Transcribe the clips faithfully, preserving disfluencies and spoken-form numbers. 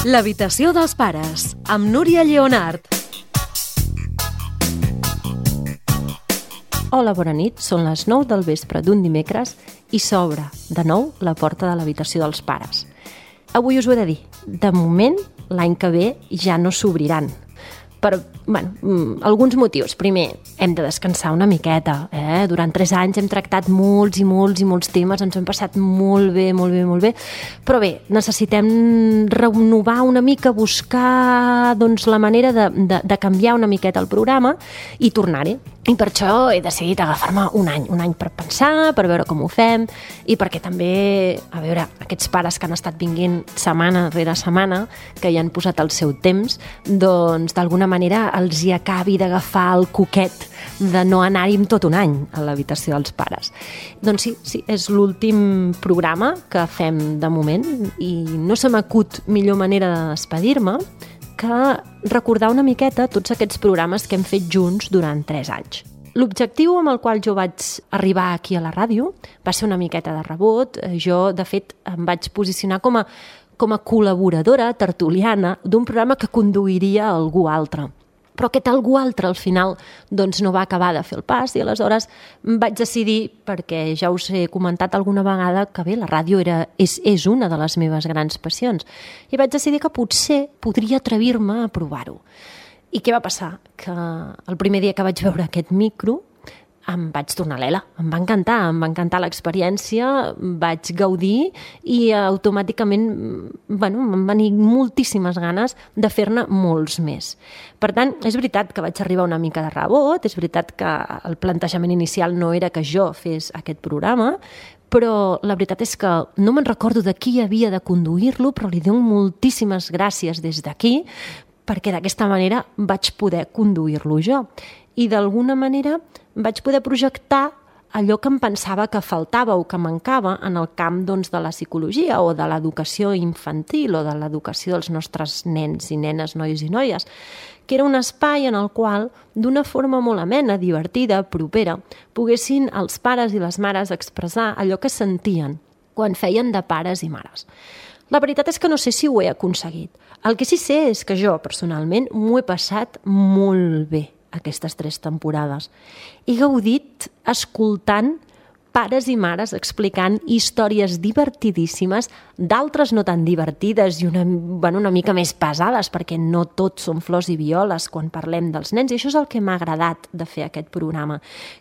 L'habitació dels pares, amb Núria Lleonart. Hola, bona nit. Són les nou del vespre d'un dimecres i s'obre, de nou, la porta de l'habitació dels pares. Avui us ho he de dir. De moment, l'any que ve ja no s'obriran. Per, bueno, alguns motius. Primer, hem de descansar una miqueta. Eh? Durant tres anys hem tractat molts i molts i molts temes, ens hem passat molt bé, molt bé, molt bé. Però bé, necessitem renovar una mica, buscar doncs, la manera de, de, de canviar una miqueta el programa i tornar-hi. I per això he decidit agafar-me un any, un any per pensar, per veure com ho fem i perquè també, a veure, aquests pares que han estat vinguent setmana rere setmana, que hi han posat el seu temps, doncs d'alguna manera els hi acabi d'agafar el coquet de no anar-hi tot un any a l'habitació dels pares. Doncs sí, sí, és l'últim programa que fem de moment i no se m'acut millor manera de despedir-me que recordar una miqueta tots aquests programes que hem fet junts durant tres anys. L'objectiu amb el qual jo vaig arribar aquí a la ràdio va ser una miqueta de rebot. Jo, de fet, em vaig posicionar com a, com a col·laboradora tertuliana d'un programa que conduiria algú altre. Però aquest algú altre, al final, doncs no va acabar de fer el pas i aleshores vaig decidir, perquè ja us he comentat alguna vegada que bé, la ràdio era, és, és una de les meves grans passions, i vaig decidir que potser podria atrevir-me a provar-ho. I què va passar? Que el primer dia que vaig veure aquest micro em vaig tornar lela, em va encantar, em va encantar l'experiència, vaig gaudir i automàticament bueno, em van venir moltíssimes ganes de fer-ne molts més. Per tant, és veritat que vaig arribar una mica de rebot, és veritat que el plantejament inicial no era que jo fes aquest programa, però la veritat és que no me'n recordo de qui havia de conduir-lo, però li dono moltíssimes gràcies des d'aquí, perquè d'aquesta manera vaig poder conduir-lo jo. I d'alguna manera vaig poder projectar allò que em pensava que faltava o que mancava en el camp doncs, de la psicologia o de l'educació infantil o de l'educació dels nostres nens i nenes, nois i noies, que era un espai en el qual, d'una forma molt amena, divertida, propera, poguessin els pares i les mares expressar allò que sentien quan feien de pares i mares. La veritat és que no sé si ho he aconseguit. El que sí sé és que jo, personalment, m'ho he passat molt bé aquestes tres temporades. He gaudit escoltant pares i mares explicant històries divertidíssimes, d'altres no tan divertides i una, bueno, una mica més pesades, perquè no tots són flors i violes quan parlem dels nens, i això és el que m'ha agradat de fer aquest programa,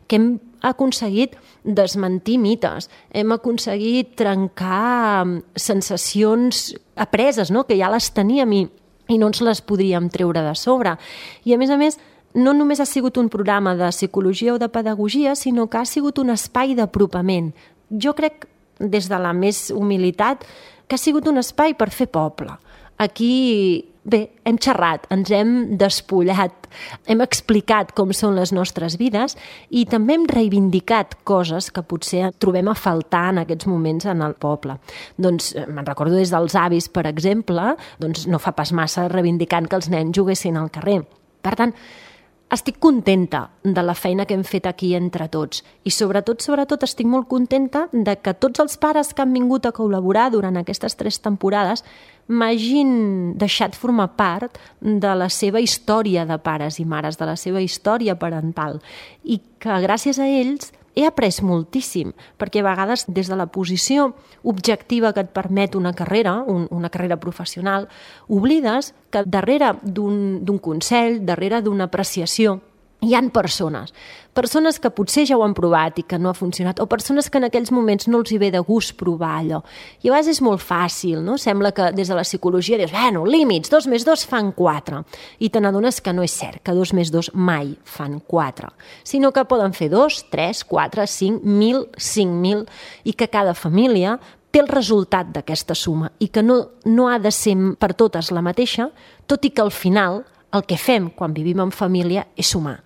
que hem aconseguit desmentir mites, hem aconseguit trencar sensacions apreses, no? Que ja les teníem i, i no ens les podríem treure de sobre. I a més a més, no només ha sigut un programa de psicologia o de pedagogia, sinó que ha sigut un espai d'apropament. Jo crec, des de la més humilitat, que ha sigut un espai per fer poble. Aquí, bé, hem xerrat, ens hem despullat, hem explicat com són les nostres vides i també hem reivindicat coses que potser trobem a faltar en aquests moments en el poble. Doncs me'n recordo des dels avis, per exemple, doncs no fa pas massa reivindicant que els nens juguessin al carrer. Per tant, estic contenta de la feina que hem fet aquí entre tots i sobretot, sobretot estic molt contenta de que tots els pares que han vingut a col·laborar durant aquestes tres temporades m'hagin deixat formar part de la seva història de pares i mares, de la seva història parental i que gràcies a ells he après moltíssim, perquè a vegades des de la posició objectiva que et permet una carrera, un, una carrera professional, oblides que darrere d'un, d'un consell, darrere d'una apreciació, hi han persones, persones que potser ja ho han provat i que no ha funcionat, o persones que en aquells moments no els hi ve de gust provar allò. I a vegades és molt fàcil, no? Sembla que des de la psicologia dius, bueno, límits, dos més dos fan quatre. I te n'adones que no és cert, que dos més dos mai fan quatre, sinó que poden fer dos, tres, quatre, cinc, mil, cinc mil, i que cada família té el resultat d'aquesta suma i que no, no ha de ser per totes la mateixa, tot i que al final el que fem quan vivim en família és sumar.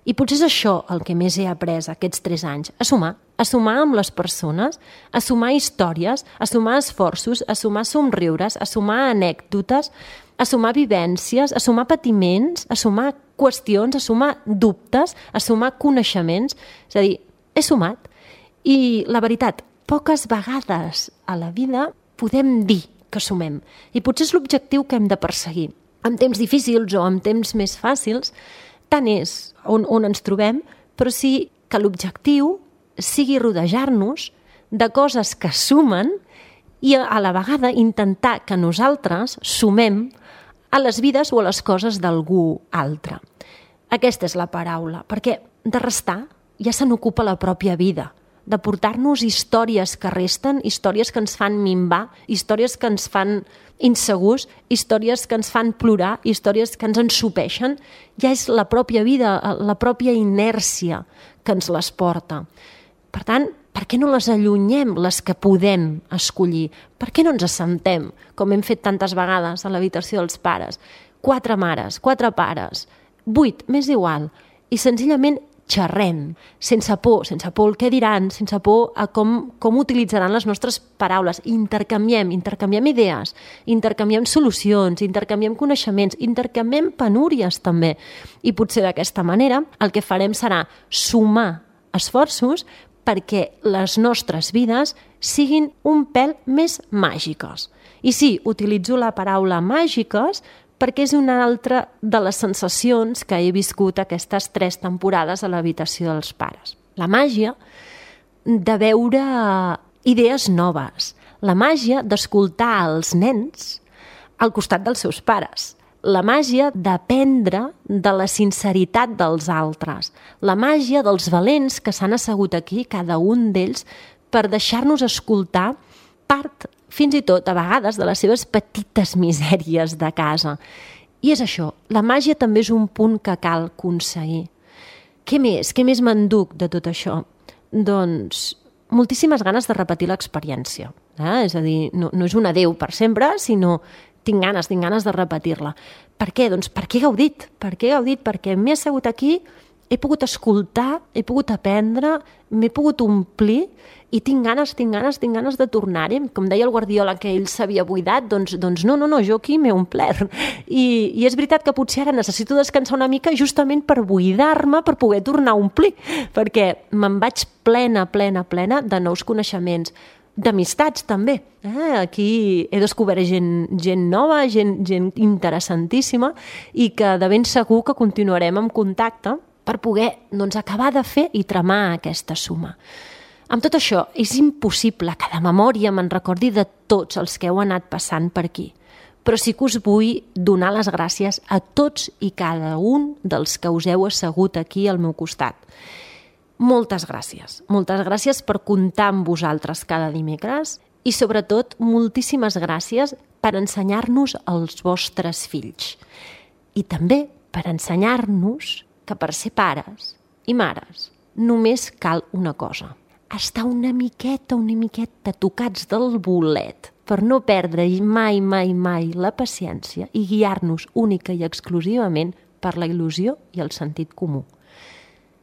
I potser és això el que més he après aquests tres anys, a sumar, a sumar amb les persones, a sumar històries, a sumar esforços, a sumar somriures, a sumar anècdotes, a sumar vivències, a sumar patiments, a sumar qüestions, a sumar dubtes, a sumar coneixements. És a dir, he sumat. I la veritat, poques vegades a la vida podem dir que sumem. I potser és l'objectiu que hem de perseguir. En temps difícils o en temps més fàcils, tant és on, on ens trobem, però sí que l'objectiu sigui rodejar-nos de coses que sumen i a la vegada intentar que nosaltres sumem a les vides o a les coses d'algú altre. Aquesta és la paraula, perquè de restar ja se n'ocupa la pròpia vida, de portar-nos històries que resten, històries que ens fan minvar, històries que ens fan insegurs, històries que ens fan plorar, històries que ens ensopeixen. Ja és la pròpia vida, la pròpia inèrcia que ens les porta. Per tant, per què no les allunyem, les que podem escollir? Per què no ens assentem, com hem fet tantes vegades a l'habitació dels pares? Quatre mares, quatre pares, vuit, m'és igual, i senzillament xerrem, sense por, sense por el què diran, sense por a com, com utilitzaran les nostres paraules. Intercanviem, intercanviem idees, intercanviem solucions, intercanviem coneixements, intercanviem penúries també. I potser d'aquesta manera el que farem serà sumar esforços perquè les nostres vides siguin un pèl més màgiques. I sí, utilitzo la paraula màgiques perquè és una altra de les sensacions que he viscut aquestes tres temporades a l'habitació dels pares. La màgia de veure idees noves, la màgia d'escoltar els nens al costat dels seus pares, la màgia d'aprendre de la sinceritat dels altres, la màgia dels valents que s'han assegut aquí, cada un d'ells, per deixar-nos escoltar part fins i tot, a vegades, de les seves petites misèries de casa. I és això, la màgia també és un punt que cal aconseguir. Què més? Què més m'enduc de tot això? Doncs moltíssimes ganes de repetir l'experiència. Eh? És a dir, no, no és un adéu per sempre, sinó tinc ganes, tinc ganes de repetir-la. Per què? Doncs perquè he gaudit. Per què he gaudit? Perquè m'he assegut aquí, he pogut escoltar, he pogut aprendre, m'he pogut omplir i tinc ganes, tinc ganes, tinc ganes de tornar-hi. Com deia el Guardiola que ell s'havia buidat, doncs, doncs no, no, no, jo aquí m'he omplert. I, I és veritat que potser ara necessito descansar una mica justament per buidar-me, per poder tornar a omplir, perquè me'n vaig plena, plena, plena de nous coneixements, d'amistats també. Eh? Aquí he descobert gent, gent nova, gent, gent interessantíssima i que de ben segur que continuarem en contacte per poder doncs, acabar de fer i tramar aquesta suma. Amb tot això, és impossible que de memòria me'n recordi de tots els que heu anat passant per aquí, però sí que us vull donar les gràcies a tots i cada un dels que us heu assegut aquí al meu costat. Moltes gràcies, moltes gràcies per comptar amb vosaltres cada dimecres i sobretot moltíssimes gràcies per ensenyar-nos als vostres fills i també per ensenyar-nos que per ser pares i mares només cal una cosa, estar una miqueta, una miqueta tocats del bolet per no perdre mai, mai, mai la paciència i guiar-nos única i exclusivament per la il·lusió i el sentit comú.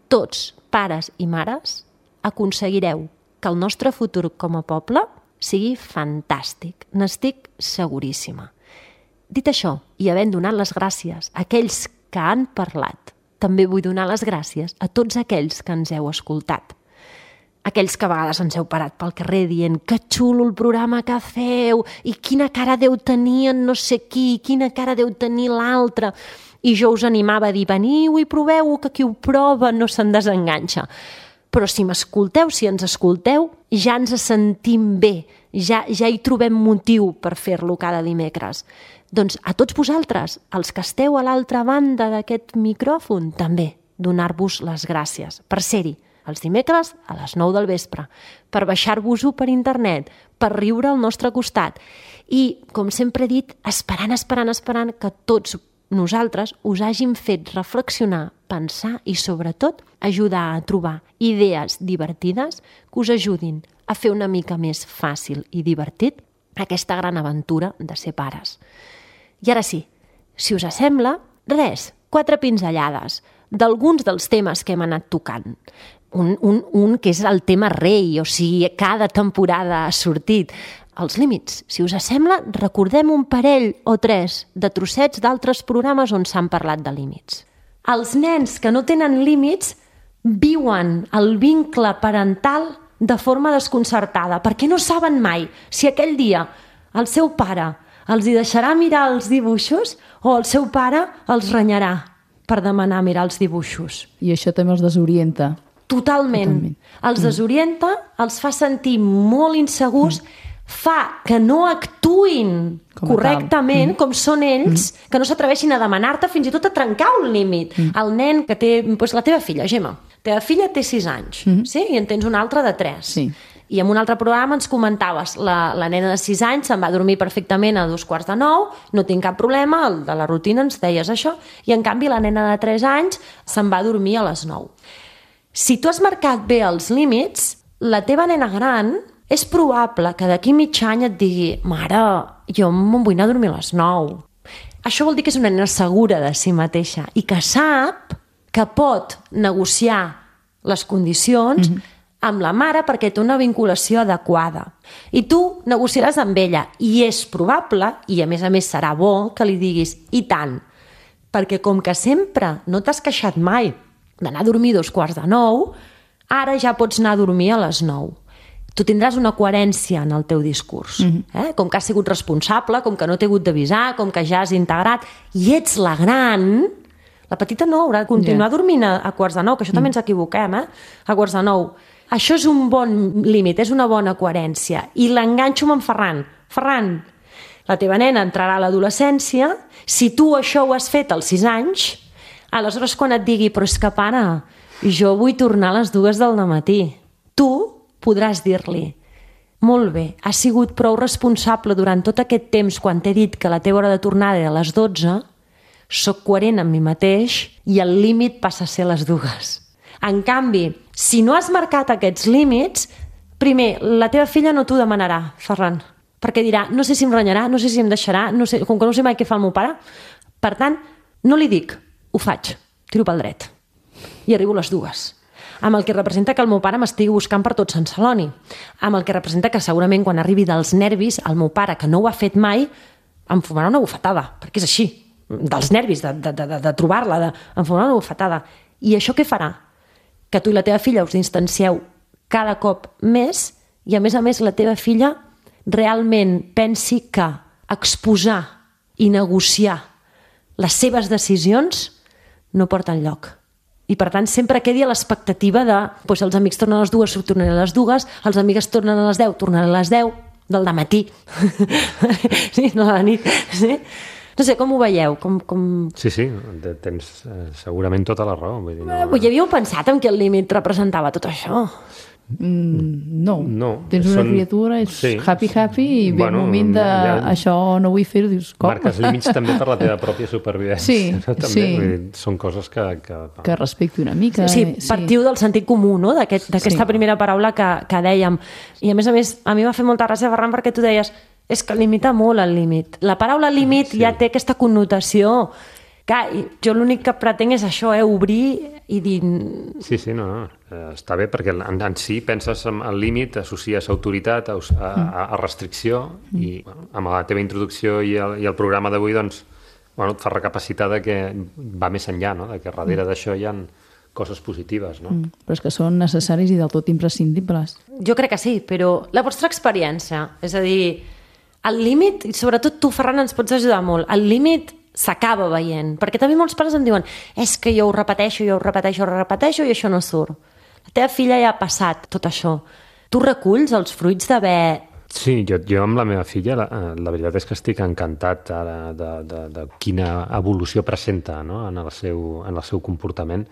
Tots, pares i mares, aconseguireu que el nostre futur com a poble sigui fantàstic. N'estic seguríssima. Dit això, i havent donat les gràcies a aquells que han parlat, també vull donar les gràcies a tots aquells que ens heu escoltat. Aquells que a vegades ens heu parat pel carrer dient que xulo el programa que feu i quina cara deu tenir en no sé qui, quina cara deu tenir l'altre. I jo us animava a dir, veniu i proveu, que qui ho prova no se'n desenganxa. Però si m'escolteu, si ens escolteu, ja ens sentim bé, ja, ja hi trobem motiu per fer-lo cada dimecres. Doncs a tots vosaltres, els que esteu a l'altra banda d'aquest micròfon, també donar-vos les gràcies per ser-hi els dimecres a les nou del vespre, per baixar-vos-ho per internet, per riure al nostre costat. I, com sempre he dit, esperant, esperant, esperant que tots nosaltres us hàgim fet reflexionar, pensar i, sobretot, ajudar a trobar idees divertides que us ajudin a fer una mica més fàcil i divertit aquesta gran aventura de ser pares. I ara sí, si us sembla, res, quatre pinzellades d'alguns dels temes que hem anat tocant. Un, un, un que és el tema rei, o sigui, cada temporada ha sortit. Els límits. Si us sembla, recordem un parell o tres de trossets d'altres programes on s'han parlat de límits. Els nens que no tenen límits viuen el vincle parental de forma desconcertada, perquè no saben mai si aquell dia el seu pare els hi deixarà mirar els dibuixos o el seu pare els renyarà per demanar mirar els dibuixos. I això també els desorienta. Totalment. Totalment. Els desorienta, els fa sentir molt insegurs, mm. fa que no actuïn com correctament, mm. com són ells, mm. que no s'atreveixin a demanar-te, fins i tot a trencar un límit. Mm. El nen que té... Doncs la teva filla, Gemma. La teva filla té sis anys, mm. sí? I en tens una altra de tres. Sí. I en un altre programa ens comentaves la, la nena de sis anys se'n va dormir perfectament a dos quarts de nou, no tinc cap problema, el de la rutina ens deies això, i en canvi la nena de tres anys se'n va dormir a les nou. Si tu has marcat bé els límits, la teva nena gran és probable que d'aquí mig any et digui mare, jo me'n vull anar a dormir a les nou. Això vol dir que és una nena segura de si mateixa i que sap que pot negociar les condicions mm-hmm. amb la mare perquè té una vinculació adequada. I tu negociaràs amb ella i és probable, i a més a més serà bo, que li diguis i tant, perquè com que sempre no t'has queixat mai d'anar a dormir dos quarts de nou, ara ja pots anar a dormir a les nou. Tu tindràs una coherència en el teu discurs. Mm-hmm. eh? Com que has sigut responsable, com que no t'he hagut d'avisar, com que ja has integrat, i ets la gran, la petita no haurà de continuar yeah. dormint a, a quarts de nou, que això mm. també ens equivoquem, eh? a quarts de nou. Això és un bon límit, és una bona coherència. I l'enganxo amb en Ferran. Ferran, la teva nena entrarà a l'adolescència, si tu això ho has fet als sis anys, aleshores quan et digui però és que pare, jo vull tornar a les dues del matí, tu podràs dir-li molt bé, has sigut prou responsable durant tot aquest temps quan t'he dit que la teva hora de tornada era a les dotze, soc coherent amb mi mateix i el límit passa a ser les dues. En canvi, si no has marcat aquests límits, primer, la teva filla no t'ho demanarà, Ferran, perquè dirà, no sé si em renyarà, no sé si em deixarà, no sé, com que no sé mai què fa el meu pare. Per tant, no li dic, ho faig, tiro pel dret. I arribo a les dues. Amb el que representa que el meu pare m'estigui buscant per tot Sant Celoni. Amb el que representa que segurament quan arribi dels nervis, el meu pare, que no ho ha fet mai, em fumarà una bufetada, perquè és així, dels nervis, de, de, de, de trobar-la, de, em fumarà una bufetada. I això què farà? Que tu i la teva filla us distancieu cada cop més i, a més a més, la teva filla realment pensi que exposar i negociar les seves decisions no porta enlloc. I, per tant, sempre quedi a l'expectativa de doncs, els amics tornen a les dues, tornaré a les dues, els amigues tornen a les deu, tornaré a les deu, del dematí. Sí, no a la nit. Sí? No sé, com ho veieu? Com, com... Sí, sí, tens eh, segurament tota la raó. Vull dir, no... eh, ja havíeu pensat en què el límit representava tot això? Mm, no. no. Tens una Són... criatura, és sí. happy, happy, i ve bueno, un moment de ja... això no vull fer-ho, dius com? Marques límits també per la teva pròpia supervivència. Sí, no? També, sí. Vull dir, són coses que... Que, que respecti una mica. Sí, sí, partiu sí. del sentit comú, no? d'aquesta Aquest, sí. primera paraula que, que dèiem. I a més a més, a mi m'ha fet molta gràcia, Ferran, perquè tu deies és que limita molt el límit. La paraula límit sí. ja té aquesta connotació. Clar, jo l'únic que pretenc és això, eh, obrir i dir... Sí, sí, no, no. Eh, està bé perquè en, en si penses en el límit, associes autoritat a, a, a restricció mm. i bueno, amb la teva introducció i el, i el programa d'avui doncs, bueno, et fa recapacitar de que va més enllà, no? De que darrere mm. d'això hi ha coses positives, no? Mm, però és que són necessaris i del tot imprescindibles. Jo crec que sí, però la vostra experiència, és a dir, el límit, i sobretot tu, Ferran, ens pots ajudar molt, el límit s'acaba veient, perquè també molts pares em diuen és que jo ho repeteixo, jo ho repeteixo, ho repeteixo i això no surt. La teva filla ja ha passat tot això. Tu reculls els fruits d'haver... Sí, jo, jo amb la meva filla, la, la veritat és que estic encantat ara de, de, de quina evolució presenta, no? en, el seu, en el seu comportament.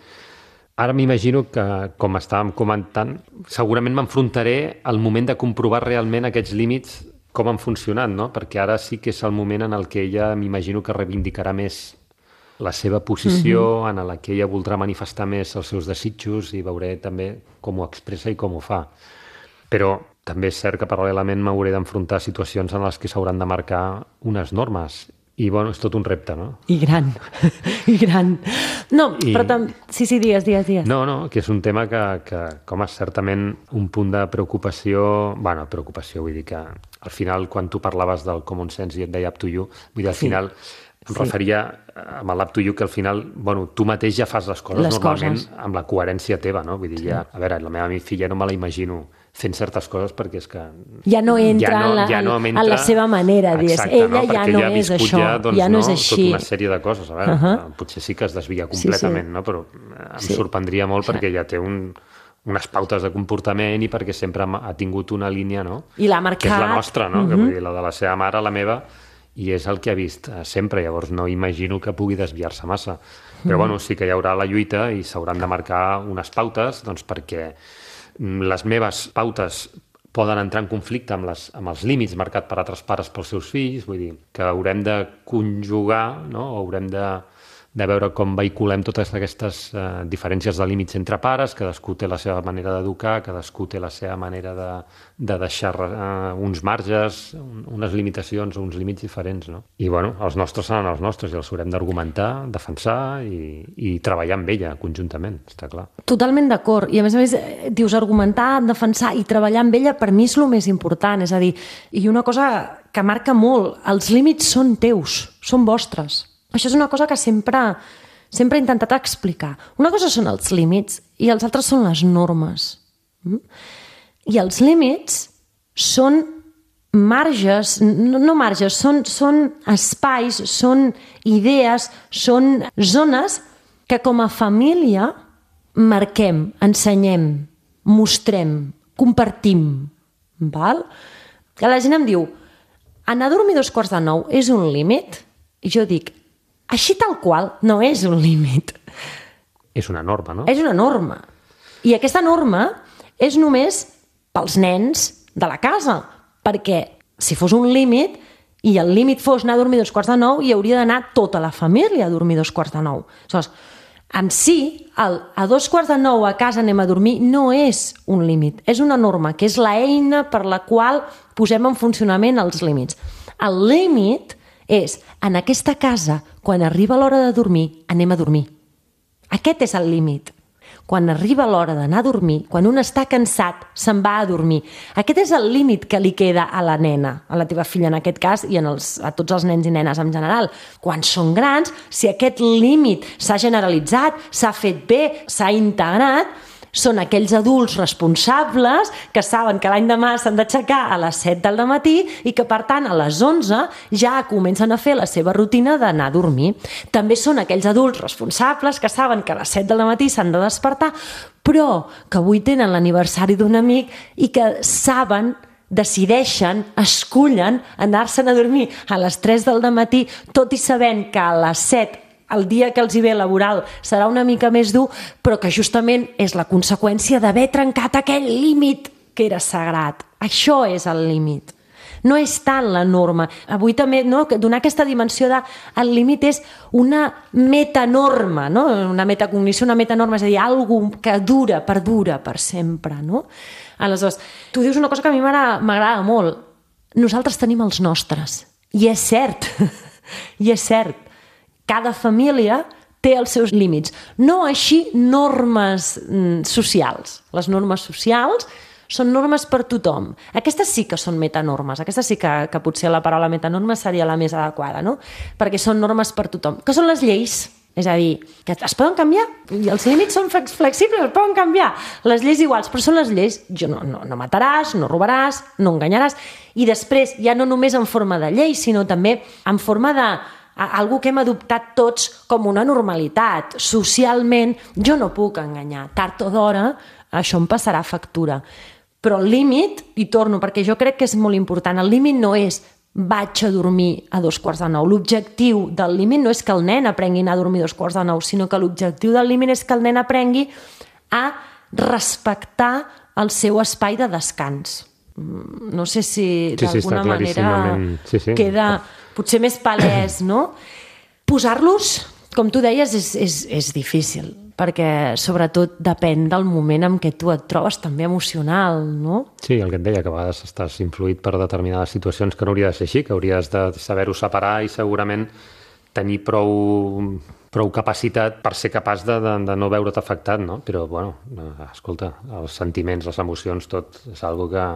Ara m'imagino que, com estàvem comentant, segurament m'enfrontaré al moment de comprovar realment aquests límits com han funcionat, no? Perquè ara sí que és el moment en el que ella m'imagino que reivindicarà més la seva posició, mm-hmm. en la que ella voldrà manifestar més els seus desitjos i veuré també com ho expressa i com ho fa. Però també és cert que paral·lelament m'hauré d'enfrontar a situacions en les que s'hauran de marcar unes normes. I, bueno, és tot un repte, no? I gran, i gran. No, I... però tam... Sí, sí, digues, digues, digues. No, no, que és un tema que, que com és certament un punt de preocupació... Bueno, preocupació, vull dir que al final, quan tu parlaves del common sense i et deia up to you, vull dir, al sí. final Em sí. referia amb l'Up to You que al final, bueno, tu mateix ja fas les coses les normalment coses. amb la coherència teva, no? Vull dir, sí. ja, a veure, la meva filla no me la imagino fent certes coses perquè és que... Ja no entra, ja no, en, la, ja no entra... en la seva manera, exacte, ella no? ja no ja és això, ja, doncs, ja no, no és així. Tota una sèrie de coses, a veure, uh-huh. potser sí que es desvia completament, sí, sí. no? Però em sí. sorprendria molt perquè ja té un... unes pautes de comportament i perquè sempre ha tingut una línia, no? I l'ha marcat. Que és la nostra, no? Uh-huh. Que vull dir, la de la seva mare, la meva, i és el que ha vist sempre. Llavors no imagino que pugui desviar-se massa. Però, uh-huh. bueno, sí que hi haurà la lluita i s'hauran de marcar unes pautes, doncs perquè les meves pautes poden entrar en conflicte amb, les, amb els límits marcats per altres pares pels seus fills, vull dir, que haurem de conjugar, no? Haurem de... de veure com vehiculem totes aquestes eh, diferències de límits entre pares, cadascú té la seva manera d'educar, cadascú té la seva manera de, de deixar eh, uns marges, un, unes limitacions, uns límits diferents, no? I, bueno, els nostres seran els nostres i els haurem d'argumentar, defensar i, i treballar amb ella conjuntament, està clar. Totalment d'acord. I, a més a més, dius argumentar, defensar i treballar amb ella, per mi és el més important. És a dir, i una cosa que marca molt, els límits són teus, són vostres. Això és una cosa que sempre, sempre he intentat explicar. Una cosa són els límits i els altres són les normes. I els límits són marges, no, no marges, són, són espais, són idees, són zones que com a família marquem, ensenyem, mostrem, compartim. Val? Que la gent em diu, anar a dormir dos quarts de nou és un límit? I jo dic, així tal qual no és un límit. És una norma, no? És una norma. I aquesta norma és només pels nens de la casa, perquè si fos un límit i el límit fos anar a dormir dos quarts de nou, hi hauria d'anar tota la família a dormir dos quarts de nou. Aleshores, en si, el, a dos quarts de nou a casa anem a dormir no és un límit, és una norma, que és l'eina per la qual posem en funcionament els límits. El límit és, en aquesta casa, quan arriba l'hora de dormir, anem a dormir. Aquest és el límit. Quan arriba l'hora d'anar a dormir, quan un està cansat, se'n va a dormir. Aquest és el límit que li queda a la nena, a la teva filla en aquest cas, i en els, a tots els nens i nenes en general. Quan són grans, si aquest límit s'ha generalitzat, s'ha fet bé, s'ha integrat, són aquells adults responsables que saben que l'any demà s'han d'aixecar a les set del matí i que, per tant, a les onze ja comencen a fer la seva rutina d'anar a dormir. També són aquells adults responsables que saben que a les set del matí s'han de despertar, però que avui tenen l'aniversari d'un amic i que saben, decideixen, escullen anar-se'n a dormir a les tres del matí, tot i sabent que a les set el dia que els hi ve laboral serà una mica més dur, però que justament és la conseqüència d'haver trencat aquell límit que era sagrat. Això és el límit. No és tant la norma. Avui també, no, donar aquesta dimensió de el límit és una metanorma, no? Una metacognició, una metanorma, és a dir, alguna que dura, perdura per sempre, no? Aleshores, tu dius una cosa que a mi m'agrada molt. Nosaltres tenim els nostres. I és cert. I és cert. Cada família té els seus límits. No així normes socials. Les normes socials són normes per tothom. Aquestes sí que són metanormes. Aquestes sí que, que potser la paraula metanorma seria la més adequada, no? Perquè són normes per tothom. Que són les lleis. És a dir, que es poden canviar. I els límits són flexibles, es poden canviar. Les lleis iguals, però són les lleis. Jo no, no, no mataràs, no robaràs, no enganyaràs. I després, ja no només en forma de llei, sinó també en forma de algo que hem adoptat tots com una normalitat. Socialment, jo no puc enganyar. Tard o d'hora, això em passarà factura. Però el límit, i torno, perquè jo crec que és molt important, el límit no és vaig a dormir a dos quarts de nou. L'objectiu del límit no és que el nen aprengui a anar a dormir a dos quarts de nou, sinó que l'objectiu del límit és que el nen aprengui a respectar el seu espai de descans. No sé si sí, sí, d'alguna manera sí, sí. queda potser més palès, no? Posar-los, com tu deies, és, és, és difícil, perquè sobretot depèn del moment en què tu et trobes també emocional, no? Sí, el que et deia, que a vegades estàs influït per determinades situacions que no hauria de ser així, que hauries de saber-ho separar i segurament tenir prou, prou capacitat per ser capaç de, de, de no veure't afectat, no? Però, bueno, escolta, els sentiments, les emocions, tot és algo que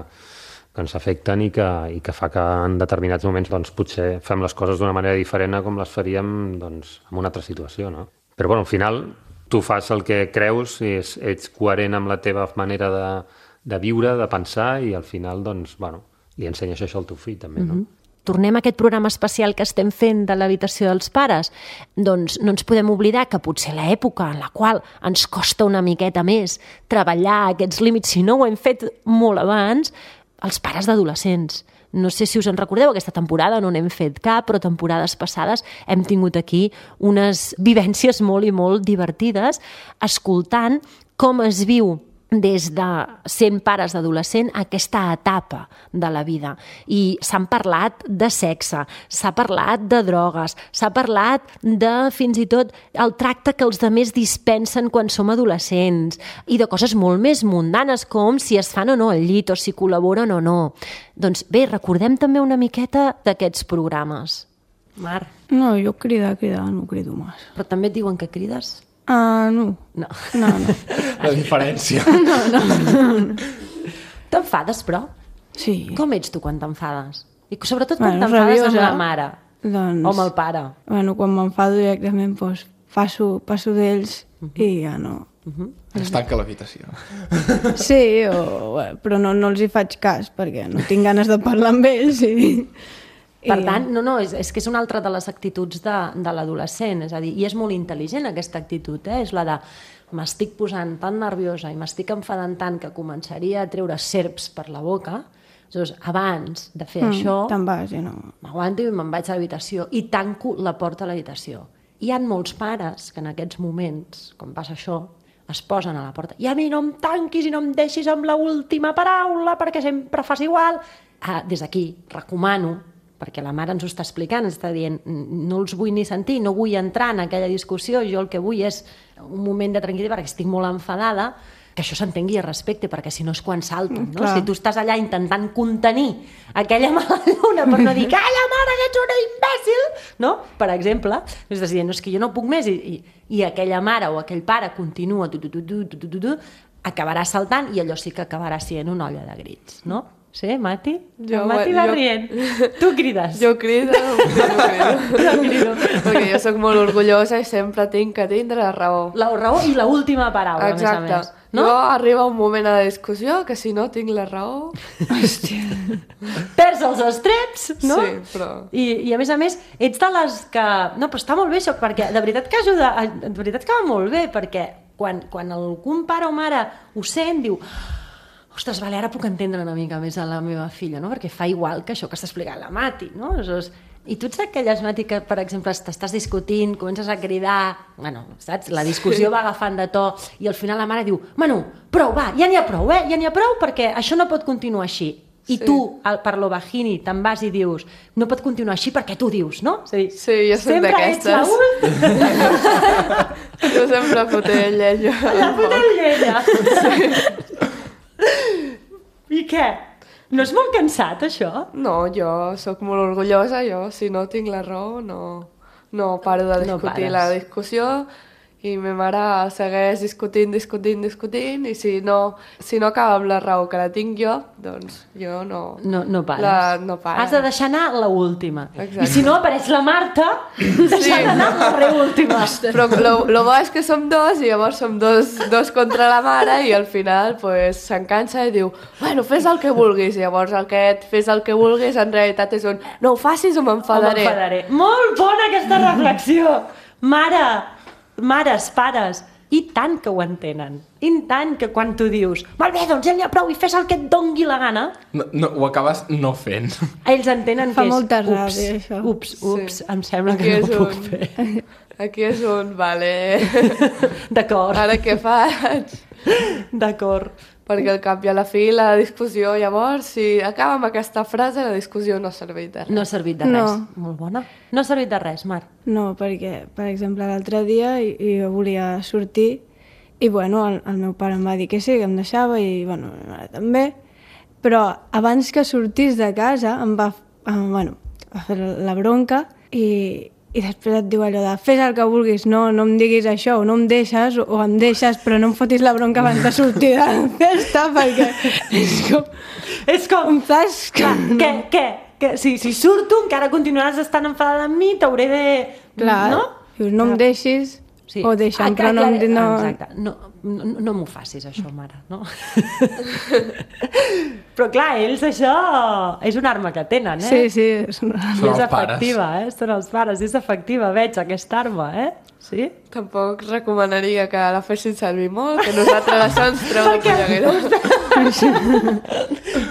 que ens afecten i que, i que fa que en determinats moments doncs, potser fem les coses d'una manera diferent a com les faríem doncs, en una altra situació, no? Però bueno, al final tu fas el que creus i ets, ets coherent amb la teva manera de, de viure, de pensar, i al final doncs, bueno, li ensenyes això al teu fill també, no? Mm-hmm. Tornem a aquest programa especial que estem fent de l'habitació dels pares, doncs no ens podem oblidar que potser l'època en la qual ens costa una miqueta més treballar aquests límits, si no ho hem fet molt abans, els pares d'adolescents. No sé si us en recordeu, aquesta temporada no n'hem fet cap, però temporades passades hem tingut aquí unes vivències molt i molt divertides, escoltant com es viu des de sent pares d'adolescent aquesta etapa de la vida. I s'han parlat de sexe, s'ha parlat de drogues, s'ha parlat de fins i tot el tracte que els demés dispensen quan som adolescents i de coses molt més mundanes com si es fan o no al llit o si col·laboren o no. Doncs bé, recordem també una miqueta d'aquests programes. Mar? No, jo cridar, cridar, no crido més. Però també et diuen que crides? Ah, uh, no. No. No, no. La diferència. No, no. no. T'enfades, però? Sí. Com ets tu quan t'enfades? I sobretot quan bueno, t'enfades rabiosa, amb la mare doncs, o amb el pare. Bueno, quan m'enfado directament doncs, passo, passo d'ells uh-huh. i ja no. Uh-huh. Es tanca l'habitació. Sí, o, però no, no els hi faig cas perquè no tinc ganes de parlar amb ells i... Per tant, no, no, és, és que és una altra de les actituds de, de l'adolescent, és a dir, i és molt intel·ligent aquesta actitud, eh? És la de m'estic posant tan nerviosa i m'estic enfadant tant que començaria a treure serps per la boca, doncs abans de fer mm, això, te'n vas i no... m'aguanto i me'n vaig a l'habitació i tanco la porta a l'habitació. Hi ha molts pares que en aquests moments, quan passa això, es posen a la porta i a mi no em tanquis i no em deixis amb l'última paraula perquè sempre fas igual. Ah, des d'aquí recomano, perquè la mare ens ho està explicant, ens està dient no els vull ni sentir, no vull entrar en aquella discussió, jo el que vull és un moment de tranquil·litat perquè estic molt enfadada, que això s'entengui i respecte, perquè si no és quan salten, no? Si tu estàs allà intentant contenir aquella mala lluna per no dir calla mare que ets una imbècil, no? Per exemple, estàs dient no, és que jo no puc més i, i, i aquella mare o aquell pare continua tu, tu, tu, tu, tu, tu, tu, acabarà saltant i allò sí que acabarà sent una olla de grits, no? Sí, Mati? Jo, Mati va jo... rient. Tu crides. Jo crido, jo crido. Jo crido. Perquè jo sóc molt orgullosa i sempre tinc que tindre la raó. La raó i l'última paraula, exacte. A més a més. No? Jo arriba un moment a la discussió que si no tinc la raó... Hòstia. Perds els estreps, no? Sí, però... I, I a més a més, ets de les que... No, però està molt bé això, perquè de veritat que ajuda... De veritat que va molt bé, perquè quan, quan algun pare o mare ho sent, diu... Ostres, vale, ara puc entendre una mica més a la meva filla, no? Perquè fa igual que això que està explicant la Mati, no? I tu ets d'aquelles, Mati, que, per exemple, t'estàs discutint, comences a cridar... Bueno, saps? La discussió va agafant de to i al final la mare diu Manu, prou, va, ja n'hi ha prou, eh? Ja n'hi ha prou perquè això no pot continuar així. I sí. Tu, per lo bajini, te'n vas i dius no pot continuar així perquè tu dius, no? És a dir, sí, jo soc d'aquestes. Sempre ets la jo sempre fotent llenya. La fotent llenya. Sí. I què? No és molt cansat, això? No, jo sóc molt orgullosa, jo si no tinc la raó no, no paro de discutir no la discussió i ma mare segueix discutint, discutint, discutint i si no, si no acaba amb la raó que la tinc jo, doncs jo no... No, no pares. La, no pares. Has de deixar anar la última. Exacte. I si no apareix la Marta, deixar sí. anar la reúltima. Però lo, lo bo és que som dos i llavors som dos, dos contra la mare i al final pues, s'encansa i diu bueno, fes el que vulguis. I llavors aquest fes el que vulguis en realitat és un no ho facis o m'enfadaré. O m'enfadaré. Molt bona aquesta reflexió. Mare... Mares, pares, i tant que ho entenen. I tant que quan tu dius molt bé, doncs ja n'hi ha prou i fes el que et dongui la gana. No, no, ho acabes no fent. Ells entenen Fa que és molta ups, ràbia, això. ups, ups, sí. Em sembla aquí que no ho puc un... fer. Aquí és un, vale... D'acord. Ara què faig? D'acord. Perquè al cap i a la fi la discussió, llavors, si acaba amb aquesta frase, la discussió no ha servit de res. No ha servit de res. No. Molt bona. No ha servit de res, Mar. No, perquè, per exemple, l'altre dia jo volia sortir i, bueno, el, el meu pare em va dir que sí, que em deixava i, bueno, ma mare també. Però abans que sortís de casa em va, eh, bueno, va fer la bronca i, i després et diu allò de fes el que vulguis, no, no em diguis això, o no em deixes, o em deixes, però no em fotis la bronca abans de sortir de la festa, perquè és com... És com... Saps? Clar, què, què? Que si, si surto encara continuaràs estant enfadada amb mi, t'hauré de... Clar, no? Dius, no em deixis, sí. o deixa'm, ah, però no... clar, no... Exacte, no, no, no m'ho facis això, mare, no? Però clar, ells això és una arma que tenen, eh? Sí, sí, és una... Són és els efectiva, eh? Són els pares, és efectiva, veig aquesta arma, eh? Sí? Tampoc recomanaria que la fessin servir molt, que nosaltres això ens treu de polleguera.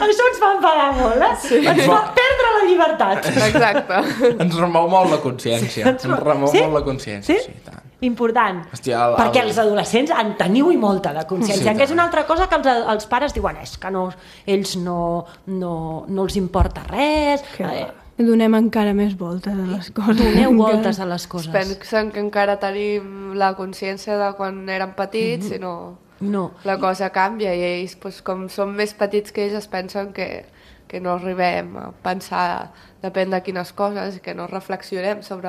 Això ens fa enfadar molt, eh? Sí. Ens fa perdre la llibertat. Exacte. Ens remou molt la consciència. Ens remou Sí? molt la consciència, Sí? sí, tant. Important. Hòstia, el- Perquè el- els adolescents en teniu i molta de consciència, Sí, que és tant. una altra cosa que els, els pares diuen és que no, ells no, no, no els importa res. Que Eh, donem encara més voltes a les coses. doneu Encara. voltes a les coses. Pensen que encara tenim la consciència de quan érem petits i no... No. La cosa canvia i ells, doncs, com som més petits que ells, es pensen que, que no arribem a pensar, depèn de quines coses, i que no reflexionem sobre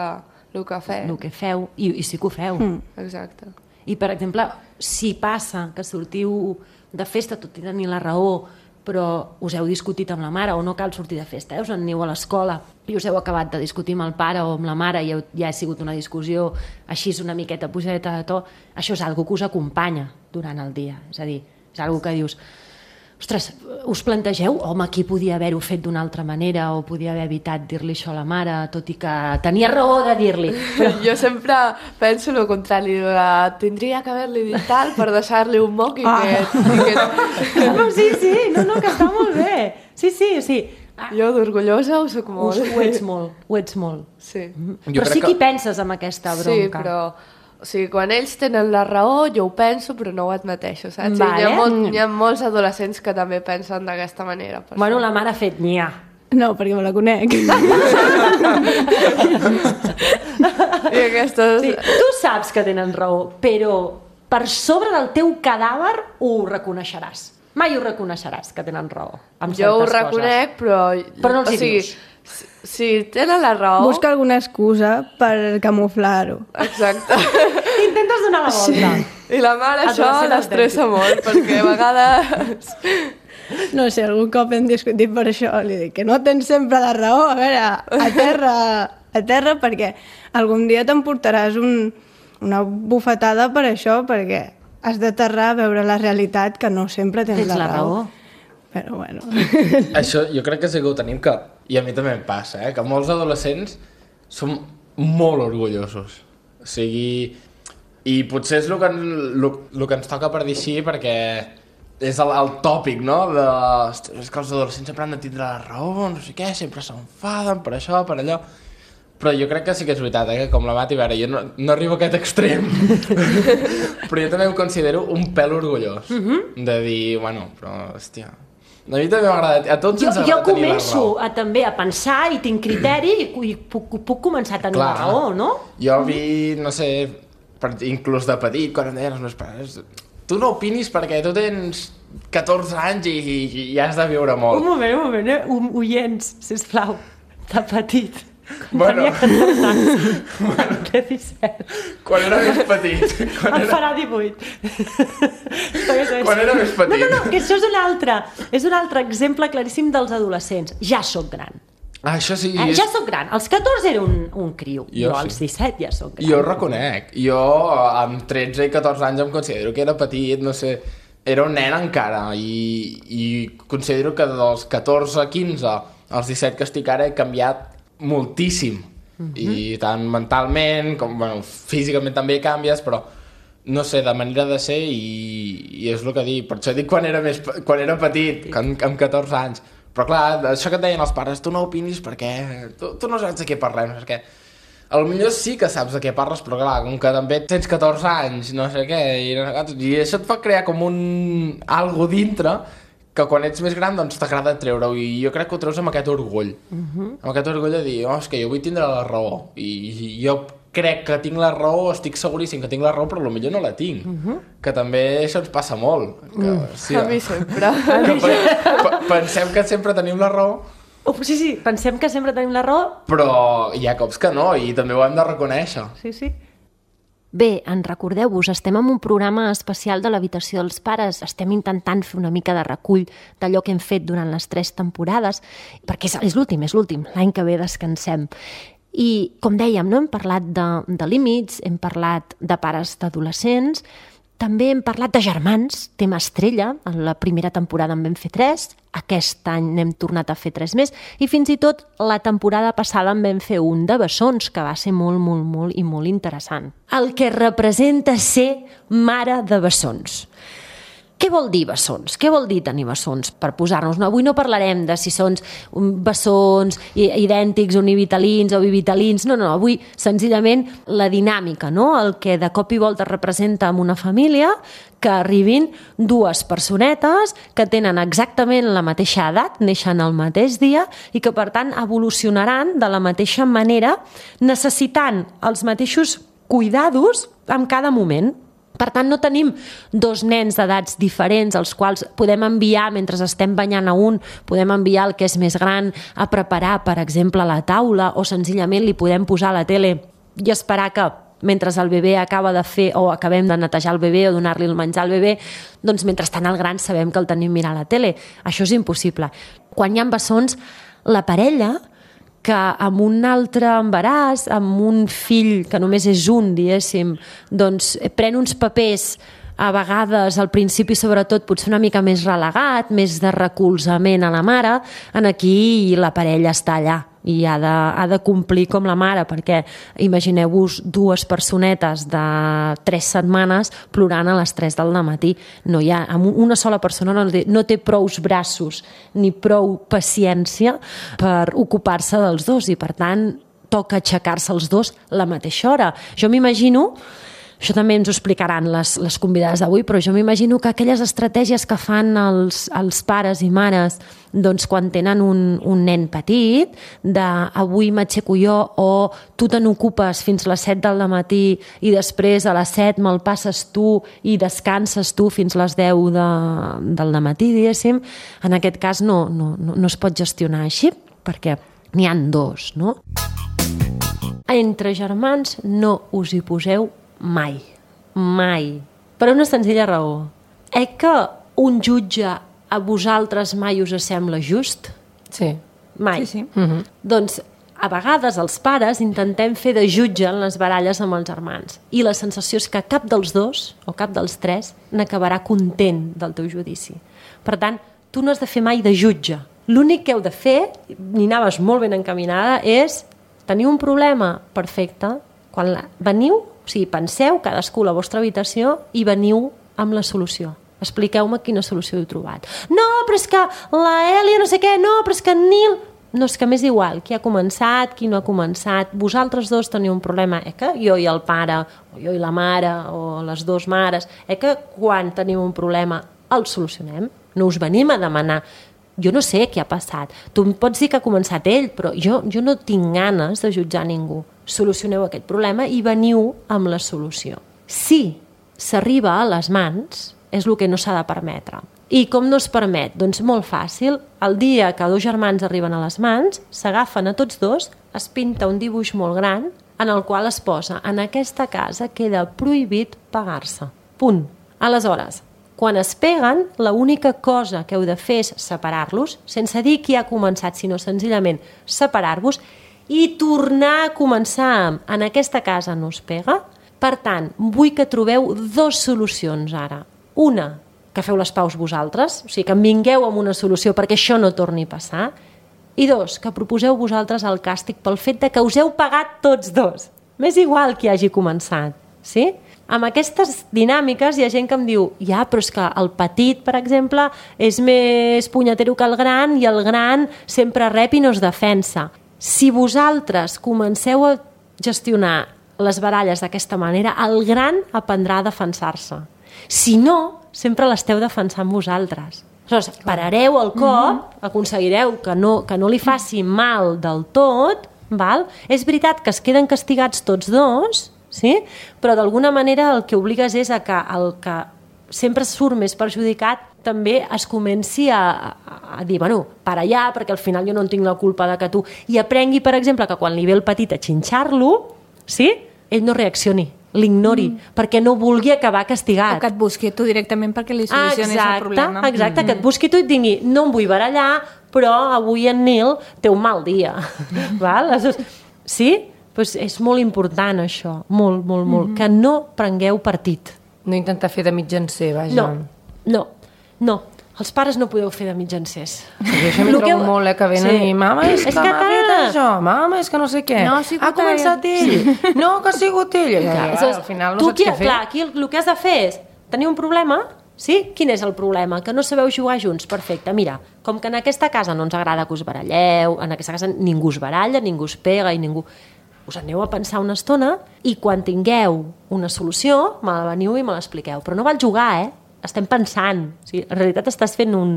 el que fem. El que feu, i, i sí que ho feu. Mm. Exacte. I, per exemple, si passa que sortiu de festa tot i tenir la raó, però us heu discutit amb la mare, o no cal sortir de festa, eh? Us en aneu a l'escola i us heu acabat de discutir amb el pare o amb la mare i heu, ja ha sigut una discussió així una miqueta pujadeta de to, això és algo que us acompanya durant el dia. És a dir, és algo que dius, ostres, us plantegeu, home, aquí podia haver-ho fet d'una altra manera o podia haver evitat dir-li això a la mare, tot i que tenia raó de dir-li. Però jo sempre penso el contrari, de, tindria que haver-li dit tal per deixar-li un moc i Ah. que... I que... No, sí, sí, no, no, que està molt bé. Sí, sí, sí. Ah, Jo d'orgullosa ho soc ho, molt. ho ets molt, ho ets molt. Sí. Jo Però crec sí que hi que- penses amb aquesta bronca. Sí, però... O sigui, quan ells tenen la raó, jo ho penso, però no ho admeteixo, saps? I Vale. Hi ha, molt, hi ha molts adolescents que també pensen d'aquesta manera. Per Bueno, això. la mare ha fet nyà. No, perquè me la conec. I aquestes... Sí, tu saps que tenen raó, però per sobre del teu cadàver ho reconeixeràs. Mai ho reconeixeràs, que tenen raó. Amb Jo ho certes reconec, coses. però... Però no els o hi sigui, dius. Si, si tenen la raó... Busca alguna excusa per camuflar-ho. Exacte. Intentes donar la volta. I la mare això Adolescent l'estressa molt, perquè a vegades... No sé, algun cop hem discutit per això. Li dic que no tens sempre la raó. A veure, a terra, a terra perquè algun dia t'emportaràs un, una bufetada per això, perquè has d'aterrar a veure la realitat, que no sempre tens, Tens la raó. Però bueno... Això jo crec que sí que ho tenim, que, i a mi també em passa, eh, que molts adolescents som molt orgullosos. O sigui, i potser és el que, el, el que ens toca per dir així, perquè és el, el tòpic, no? De, ostres, és que els adolescents sempre han de tindre la raó, no sé què, sempre s'enfaden per això, per allò... Però jo crec que sí que és veritat, eh? Que com la Mati, a veure, jo no, no arribo a aquest extrem, però jo també em considero un pèl orgullós, uh -huh. de dir, bueno, però, hòstia... A mi també m'agrada, a tots Jo, ens jo agrada tenir la començo raó. a, també a pensar i tinc criteri i, i puc, puc començar a tenir Clar. la raó, no? Jo vi, no sé, per, inclús de petit, quan em deien els meus pares, tu no opinis perquè tu tens catorze anys i, i, i has de viure Un molt. moment, un moment, eh? Um, oients, sisplau, de petit. Quan Bueno. tenia catorze anys. Bueno. Té disset. Quan era més petit. Quan Em era... farà divuit. Quan era més petit. No, no, no, que això és un altre, és un altre exemple claríssim dels adolescents. Ja sóc gran. Ah, això sí. Eh? és- Ja sóc gran. Als catorze era un, un criu. Jo Jo, sí. als disset ja sóc gran. Jo ho reconec. Jo amb tretze i catorze anys em considero que era petit, no sé, era un nen encara i, i considero que dels catorze a quinze als disset que estic ara he canviat moltíssim. Uh-huh. I tant mentalment com, bueno, físicament també canvies, però no sé, de manera de ser i, i és el que dic. Per això dic quan era, més, quan era petit, amb, amb catorze anys. Però clar, això que et deien els pares, tu no opinis perquè tu, tu no saps de què parlem, perquè a lo millor sí que saps de què parles, però clar, com que també tens catorze anys, no sé què, i, i això et fa crear com un... algo dintre que quan ets més gran doncs t'agrada treure-ho, i jo crec que ho treus amb aquest orgull. Uh-huh. Amb aquest orgull de dir, oh, és que jo vull tindre la raó, i, i jo crec que tinc la raó, estic seguríssim que tinc la raó, però potser no la tinc. Uh-huh. Que també això ens passa molt. Que, Mm. sí, A mi sempre. que pe pe pensem que sempre tenim la raó, Oh, sí, sí, pensem que sempre tenim la raó. Però hi ha cops que no, i també ho hem de reconèixer. Sí, sí. Bé, en recordeu-vos, estem en un programa especial de l'habitació dels pares. Estem intentant fer una mica de recull d'allò que hem fet durant les tres temporades, perquè és, és l'últim, és l'últim. L'any que ve descansem. I, com dèiem, no? Hem parlat de, de límits, hem parlat de pares d'adolescents, també hem parlat de germans, tema estrella. En la primera temporada en vam fer tres, aquest any n'hem tornat a fer tres més, i fins i tot la temporada passada en vam fer un de bessons, que va ser molt, molt, molt i molt interessant. El que representa ser mare de bessons. Què vol dir bessons? Què vol dir tenir bessons? Per posar-nos, no, avui no parlarem de si són bessons idèntics, univitalins o bivitalins, no, no, avui senzillament la dinàmica, no? El que de cop i volta representa en una família que arribin dues personetes que tenen exactament la mateixa edat, neixen el mateix dia i que per tant evolucionaran de la mateixa manera, necessitant els mateixos cuidados en cada moment. Per tant, no tenim dos nens d'edats diferents als quals podem enviar, mentre estem banyant a un, podem enviar el que és més gran a preparar, per exemple, la taula, o senzillament li podem posar a la tele i esperar que, mentre el bebè acaba de fer o acabem de netejar el bebè o donar-li el menjar al bebè, doncs mentrestant el gran sabem que el tenim mirant la tele. Això és impossible. Quan hi ha bessons, la parella que amb un altre embaràs, amb un fill que només és un, diguéssim, doncs pren uns papers a vegades, al principi sobretot, potser una mica més relegat, més de recolzament a la mare, en aquí la parella està allà i ha de, ha de complir com la mare, perquè imagineu-vos dues personetes de tres setmanes plorant a les tres del matí. No hi ha, una sola persona no té, no té prous braços ni prou paciència per ocupar-se dels dos i per tant toca aixecar-se els dos la mateixa hora. Jo m'imagino, això també ens ho explicaran les, les convidades d'avui, però jo m'imagino que aquelles estratègies que fan els, els pares i mares doncs, quan tenen un, un nen petit, de avui m'aixeco jo o tu te n'ocupes fins a les set del matí i després a les set me'l passes tu i descanses tu fins a les deu de, del matí, diguéssim, en aquest cas no, no, no, no es pot gestionar així, perquè n'hi han dos, no? Entre germans no us hi poseu mai, mai. Per una senzilla raó. Eh que un jutge a vosaltres mai us sembla just? Sí. Mai. Sí, sí. Mm-hmm. Doncs a vegades els pares intentem fer de jutge en les baralles amb els germans i la sensació és que cap dels dos o cap dels tres n'acabarà content del teu judici. Per tant, tu no has de fer mai de jutge. L'únic que heu de fer, ni anaves molt ben encaminada, és tenir un problema perfecte. Quan la... veniu, o sigui, penseu cadascú a la vostra habitació i veniu amb la solució. Expliqueu-me quina solució heu trobat. No, però és que la Èlia no sé què, no, però és que en Nil... No, és que m'és igual, qui ha començat, qui no ha començat. Vosaltres dos teniu un problema, eh que jo i el pare, o jo i la mare, o les dues mares, eh que quan teniu un problema el solucionem. No us venim a demanar... Jo no sé què ha passat. Tu em pots dir que ha començat ell, però jo, jo no tinc ganes de jutjar ningú. Solucioneu aquest problema i veniu amb la solució. Si s'arriba a les mans, és el que no s'ha de permetre. I com no es permet? Doncs molt fàcil. El dia que dos germans arriben a les mans, s'agafen a tots dos, es pinta un dibuix molt gran en el qual es posa en aquesta casa queda prohibit pegar-se. Punt. Aleshores, quan es peguen, l'única cosa que heu de fer és separar-los, sense dir qui ha començat, sinó senzillament separar-vos i tornar a començar. En aquesta casa no es pega. Per tant, vull que trobeu dues solucions ara. Una, que feu les paus vosaltres, o sigui, que en vingueu amb una solució perquè això no torni a passar. I dos, que proposeu vosaltres el càstig pel fet de que us heu pagat tots dos. M'és igual qui hagi començat, sí? Amb aquestes dinàmiques hi ha gent que em diu ja, però és que el petit, per exemple, és més punyetero que el gran i el gran sempre rep i no es defensa. Si vosaltres comenceu a gestionar les baralles d'aquesta manera, el gran aprendrà a defensar-se. Si no, sempre l'esteu defensant vosaltres. Aleshores, parareu el cop, aconseguireu que no, que no li faci mal del tot, val? És veritat que es queden castigats tots dos, sí? Però d'alguna manera el que obligues és a que el que sempre surt més perjudicat també es comenci a, a, a dir, bueno, per allà, perquè al final jo no en tinc la culpa de que tu... I aprengui, per exemple, que quan li ve el petit a xinxar-lo, sí? Ell no reaccioni, l'ignori, mm. perquè no vulgui acabar castigat. O que et busqui tu directament perquè li solucionis exacte, el problema. Exacte, mm. que et busqui tu i et digui, no em vull barallar, però avui en Nil té un mal dia. Val? Sí? Pues és molt important això, molt, molt, molt, mm-hmm. que no prengueu partit. No intentar fer de mitjancer, vaja. No, no, no. Els pares no podeu fer de mitjancers. Jo això m'hi trobo que... molt, eh, que venen sí. i mama, és, és que, que m'ha fet això, mama, és que no sé què. No, ha, ha començat ell. Sí. No, que ha sigut ell. Ja, ja, ja, al final no tu saps qui, què fer. Clar, aquí el, el que has de fer és tenir un problema, sí? Quin és el problema? Que no sabeu jugar junts. Perfecte, mira, com que en aquesta casa no ens agrada que us baralleu, en aquesta casa ningú us baralla, ningú us pega i ningú... Us aneu a pensar una estona i quan tingueu una solució, me la veniu i me l'expliqueu. Però no val jugar, eh? Estem pensant. O sigui, en realitat estàs fent un...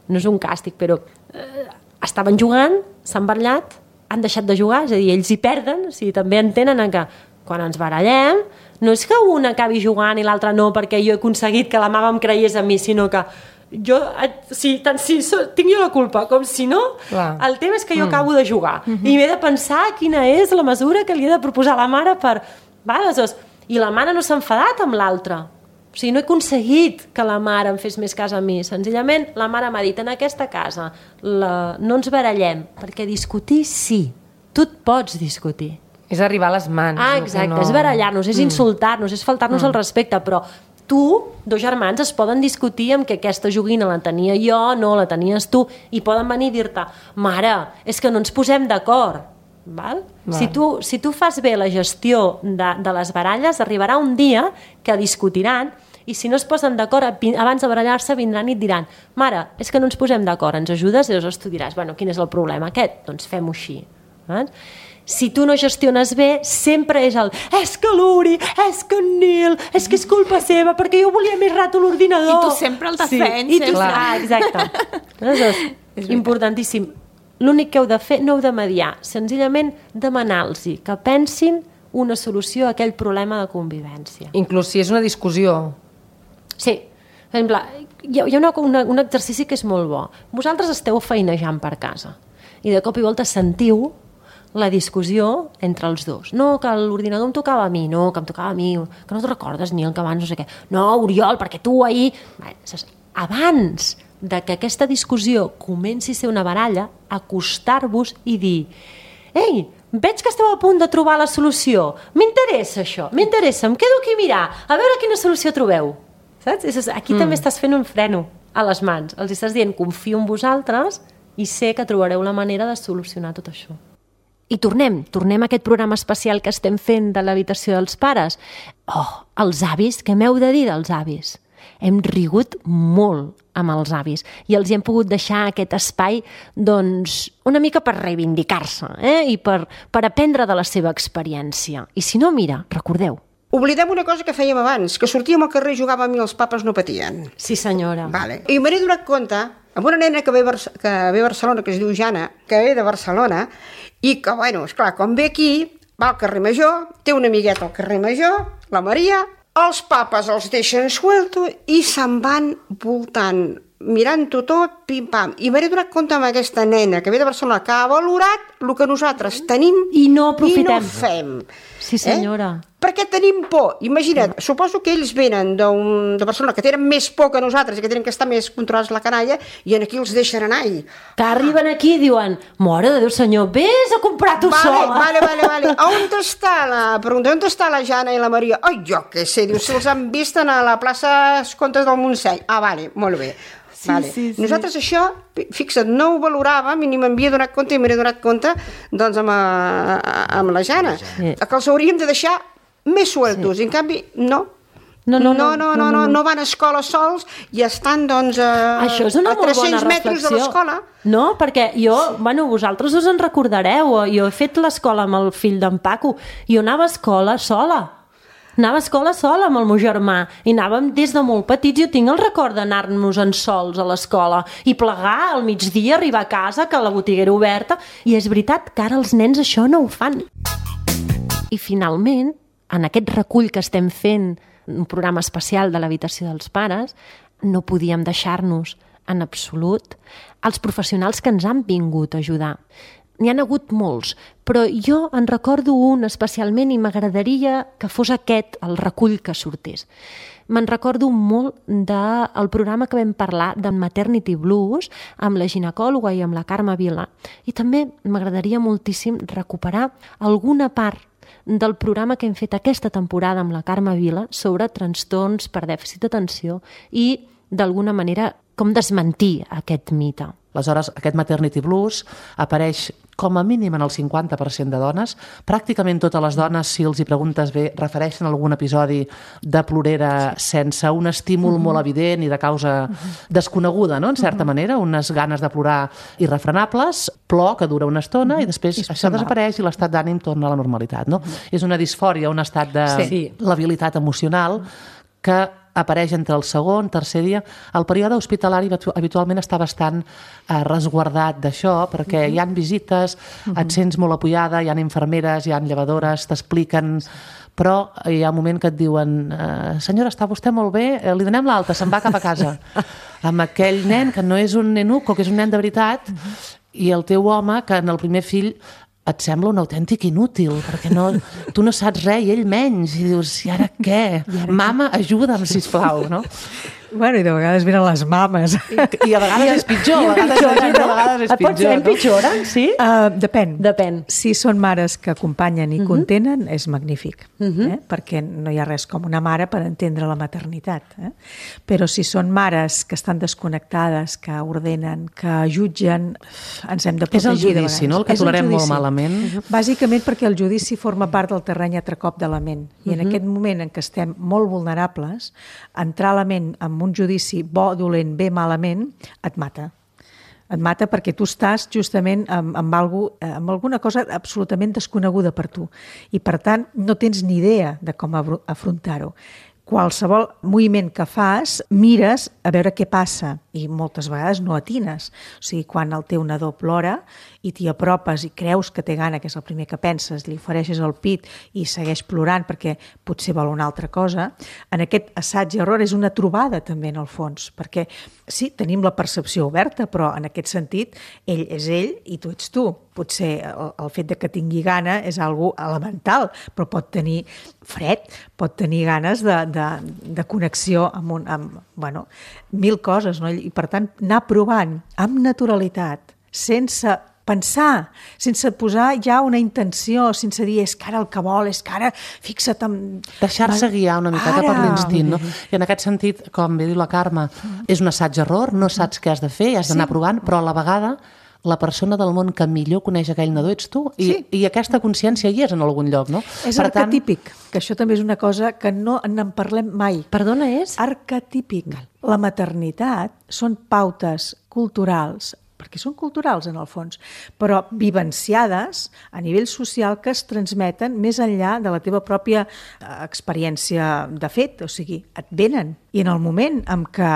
No és un càstig, però... Eh, estaven jugant, s'han barallat, han deixat de jugar, és a dir, ells hi perden, o sigui, també entenen que quan ens barallem no és que un acabi jugant i l'altre no perquè jo he aconseguit que la mama em creiés a mi, sinó que jo, si, tant si so, tinc jo la culpa com si no, clar. El tema és que jo mm. acabo de jugar mm-hmm. i m'he de pensar quina és la mesura que li he de proposar a la mare per... Va, aleshores, i la mare no s'ha enfadat amb l'altra. O sigui, no he aconseguit que la mare em fes més cas a mi. Senzillament, la mare m'ha dit, en aquesta casa la... no ens barallem, perquè discutir sí. Tu et pots discutir. És arribar a les mans. Ah, exacte, no... és barallar-nos, és mm. insultar-nos, és faltar-nos mm. el respecte, però tu, dos germans, es poden discutir amb que aquesta joguina la tenia jo, no, la tenies tu, i poden venir i dir-te, mare, és que no ens posem d'acord. Val? Val. Si, tu, si tu fas bé la gestió de, de les baralles, arribarà un dia que discutiran i si no es posen d'acord, abans de barallar-se vindran i et diran, mare, és que no ens posem d'acord, ens ajudes? I llavors tu diràs, bueno, quin és el problema aquest? Doncs fem-ho així. Val? Si tu no gestiones bé, sempre és el és que l'Uri, és que en Nil, és que és culpa seva, perquè jo volia més rato l'ordinador. I tu sempre el defens. Sí. I tu, ah, exacte. Aleshores, importantíssim. L'únic que heu de fer, no heu de mediar, senzillament demanar-los que pensin una solució a aquell problema de convivència. Inclús si és una discussió. Sí. Per exemple, hi ha, hi ha una, una, un exercici que és molt bo. Vosaltres esteu feinejant per casa i de cop i volta sentiu la discussió entre els dos. No, que l'ordinador em tocava a mi, no, que em tocava a mi, que no te'n recordes, Nil, que abans no sé què. No, Oriol, perquè tu ahir... Abans de que aquesta discussió comenci a ser una baralla, acostar-vos i dir ei, veig que esteu a punt de trobar la solució, m'interessa això, m'interessa, em quedo aquí a mirar, a veure quina solució trobeu. Saps? Aquí mm. també estàs fent un freno a les mans. Els estàs dient, confio en vosaltres i sé que trobareu la manera de solucionar tot això. I tornem, tornem a aquest programa especial que estem fent de l'habitació dels pares. Oh, els avis, què m'heu de dir dels avis? Hem rigut molt amb els avis i els hi hem pogut deixar aquest espai doncs, una mica per reivindicar-se eh? I per, per aprendre de la seva experiència. I si no, mira, recordeu. Oblidem una cosa que fèiem abans, que sortíem al carrer i jugàvem i els papes no patien. Sí, senyora. Vale. I m'he donat compte amb una nena que ve, que ve a Barcelona, que es diu Jana, que ve de Barcelona, i que, bueno, esclar, quan ve aquí, va al carrer Major, té una amigueta al carrer Major, la Maria, els papes els deixen suelto i se'n van voltant, mirant-ho tot, pim-pam. I m'he donat compte amb aquesta nena que ve de Barcelona, que ha valorat el que nosaltres tenim i no aprofitem. I no fem. Sí, senyora. Eh? Perquè tenim por. Imagina't, suposo que ells venen de Barcelona, que tenen més por que nosaltres i que tenen que estar més controlats la canalla, i aquí els deixen anar. I... Que arriben aquí i diuen, mare de Déu, senyor, vés a comprar tu vale, sola. Vale, vale, vale. On està la... Pregunta, on està la Jana i la Maria? Ai, jo què sé, diu, se'ls han vist a la plaça Comtes del Montseny. Ah, vale, molt bé. Sí, vale. sí, sí. Nosaltres això, fixa't, no ho valoràvem i ni m'havia donat compte i m'he donat compte doncs amb, a, amb la Jana, sí. Que els hauríem de deixar més sueltos, sí. I en canvi no. No no no, no, no, no, no, no van a escola sols i estan doncs a, això és una a tres-cents metres de l'escola. No, perquè jo, bueno, vosaltres us en recordareu, jo he fet l'escola amb el fill d'en Paco i jo anava a escola sola. Anava a escola sola amb el meu germà i anàvem des de molt petits. Jo tinc el record d'anar-nos en sols a l'escola i plegar al migdia, arribar a casa, que la botiga era oberta, i és veritat que ara els nens això no ho fan. I finalment, en aquest recull que estem fent, un programa especial de l'habitació dels pares, no podíem deixar-nos en absolut els professionals que ens han vingut a ajudar. N'hi ha hagut molts, però jo en recordo un especialment i m'agradaria que fos aquest el recull que sortés. Me'n recordo molt del programa que vam parlar de Maternity Blues amb la ginecòloga i amb la Carme Vila. I també m'agradaria moltíssim recuperar alguna part del programa que hem fet aquesta temporada amb la Carme Vila sobre trastorns per dèficit d'atenció i, d'alguna manera, com desmentir aquest mite. Aleshores, aquest Maternity Blues apareix com a mínim en el cinquanta per cent de dones. Pràcticament totes les dones, si els hi preguntes bé, refereixen a algun episodi de plorera sense un estímul molt evident i de causa desconeguda, no?, en certa manera, unes ganes de plorar irrefrenables, plor que dura una estona i després això desapareix i l'estat d'ànim torna a la normalitat, no? És una disfòria, un estat de labilitat emocional que apareix entre el segon, tercer dia. El període hospitalari habitualment està bastant eh, resguardat d'això, perquè uh-huh. hi han visites, uh-huh. et sents molt apoyada, hi ha infermeres, hi ha llevadores, t'expliquen, però hi ha un moment que et diuen eh, senyora, està vostè molt bé, eh, li donem l'alta, se'n va cap a casa. Amb aquell nen que no és un nenuco, que és un nen de veritat, uh-huh. i el teu home, que en el primer fill et sembla un autèntic inútil, perquè no, tu no saps res i ell menys, i dius, i ara què? I ara Mama, què? Ajuda'm, sisplau, no? Bueno, i de vegades venen les mames. I, i a vegades I, és pitjor, a vegades, pitjor, no? a vegades és pitjor. Pot ser empitjoren, sí? Uh, depèn. Depèn. Si són mares que acompanyen i uh-huh. contenen, és magnífic, uh-huh. eh? perquè no hi ha res com una mare per entendre la maternitat. Eh? Però si són mares que estan desconnectades, que ordenen, que jutgen, ens hem de protegir. És el judici, no?, el que tolerem molt malament. Uh-huh. Bàsicament perquè el judici forma part del terreny atracop de la ment. I en uh-huh. aquest moment en què estem molt vulnerables, entrar a la ment amb un judici bo, dolent, bé, malament, et mata. Et mata perquè tu estàs justament amb, amb, algú, amb alguna cosa absolutament desconeguda per tu. I, per tant, no tens ni idea de com afrontar-ho. Qualsevol moviment que fas, mires a veure què passa i moltes vegades no atines. O sigui, quan el teu nadó plora i t'hi apropes i creus que té gana, que és el primer que penses, li ofereixes el pit i segueix plorant perquè potser vol una altra cosa, en aquest assaig i error és una trobada també en el fons, perquè sí, tenim la percepció oberta, però en aquest sentit ell és ell i tu ets tu. Potser el, el fet de que tingui gana és algo elemental, però pot tenir fred, pot tenir ganes de, de, de connexió amb, un, amb bueno, mil coses, no? I per tant anar provant amb naturalitat, sense pensar, sense posar ja una intenció, sense dir és que ara el que vol, és que ara fixa't en... Deixar-se guiar una miqueta ara. Per l'instint, no? I en aquest sentit, com bé diu la Carme, és un assaig-error, no saps què has de fer, has d'anar sí. provant, però a la vegada la persona del món que millor coneix aquell nadó ets tu, i, sí. i aquesta consciència hi és en algun lloc, no? És per arquetípic, tant... que això també és una cosa que no en parlem mai. Perdona, és? Arquetípic. La maternitat són pautes culturals, perquè són culturals en el fons, però vivenciades a nivell social que es transmeten més enllà de la teva pròpia experiència de fet, o sigui, et venen. I en el moment en què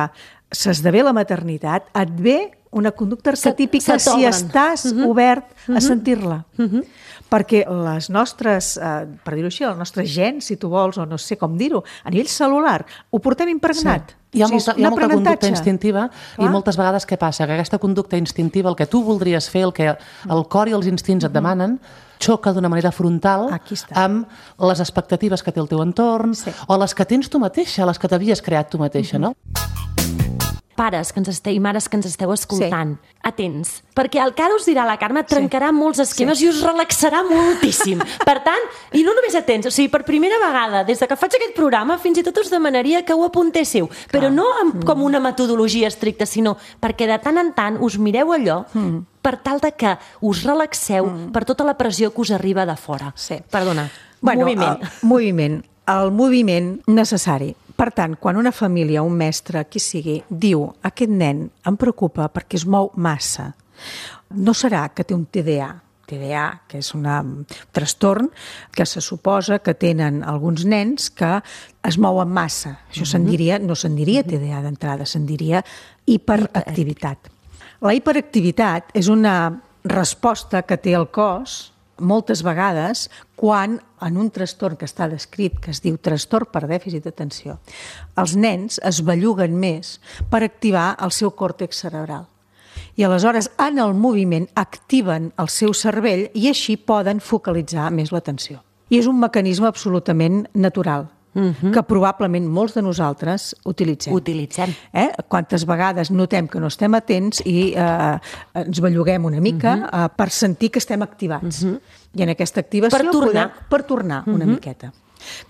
s'esdevé la maternitat, et ve una conducta arquetípica si estàs uh-huh. obert uh-huh. a sentir-la. Uh-huh. Perquè les nostres, eh, per dir-ho així, el nostre gen, si tu vols, o no sé com dir-ho, a nivell celular, ho portem impregnat. Sí. Hi ha molta, hi ha molta conducta instintiva. Clar. I moltes vegades què passa? Que aquesta conducta instintiva, el que tu voldries fer, el que el cor i els instints et demanen, xoca d'una manera frontal amb les expectatives que té el teu entorn sí. o les que tens tu mateixa, les que t'havies creat tu mateixa, uh-huh. no? Pares que ens esteu, i mares que ens esteu escoltant, sí. atents, perquè el que ara us dirà la Carme trencarà sí. molts esquemes sí. i us relaxarà moltíssim. Per tant, i no només atents, o sigui, per primera vegada, des de que faig aquest programa, fins i tot us demanaria que ho apuntéssiu, Clar. però no amb, mm. com una metodologia estricta, sinó perquè de tant en tant us mireu allò mm. per tal de que us relaxeu mm. per tota la pressió que us arriba de fora. Sí. Perdona, bueno, moviment. El moviment, el moviment necessari. Per tant, quan una família, un mestre, qui sigui, diu aquest nen em preocupa perquè es mou massa, no serà que té un T D A, T D A, que és una, un trastorn que se suposa que tenen alguns nens que es mouen massa. Això mm-hmm. se'n diria, no se'n diria T D A d'entrada, se'n diria hiperactivitat. La hiperactivitat és una resposta que té el cos moltes vegades quan en un trastorn que està descrit, que es diu trastorn per dèficit d'atenció, els nens es belluguen més per activar el seu còrtex cerebral. I aleshores, en el moviment, activen el seu cervell i així poden focalitzar més l'atenció. I és un mecanisme absolutament natural, Uh-huh. que probablement molts de nosaltres utilitzem. Utilitzem. Eh? Quantes vegades notem que no estem atents i eh, ens belluguem una mica uh-huh. eh, per sentir que estem activats. Uh-huh. I en aquesta activació per tornar, podem, per tornar una uh-huh. miqueta.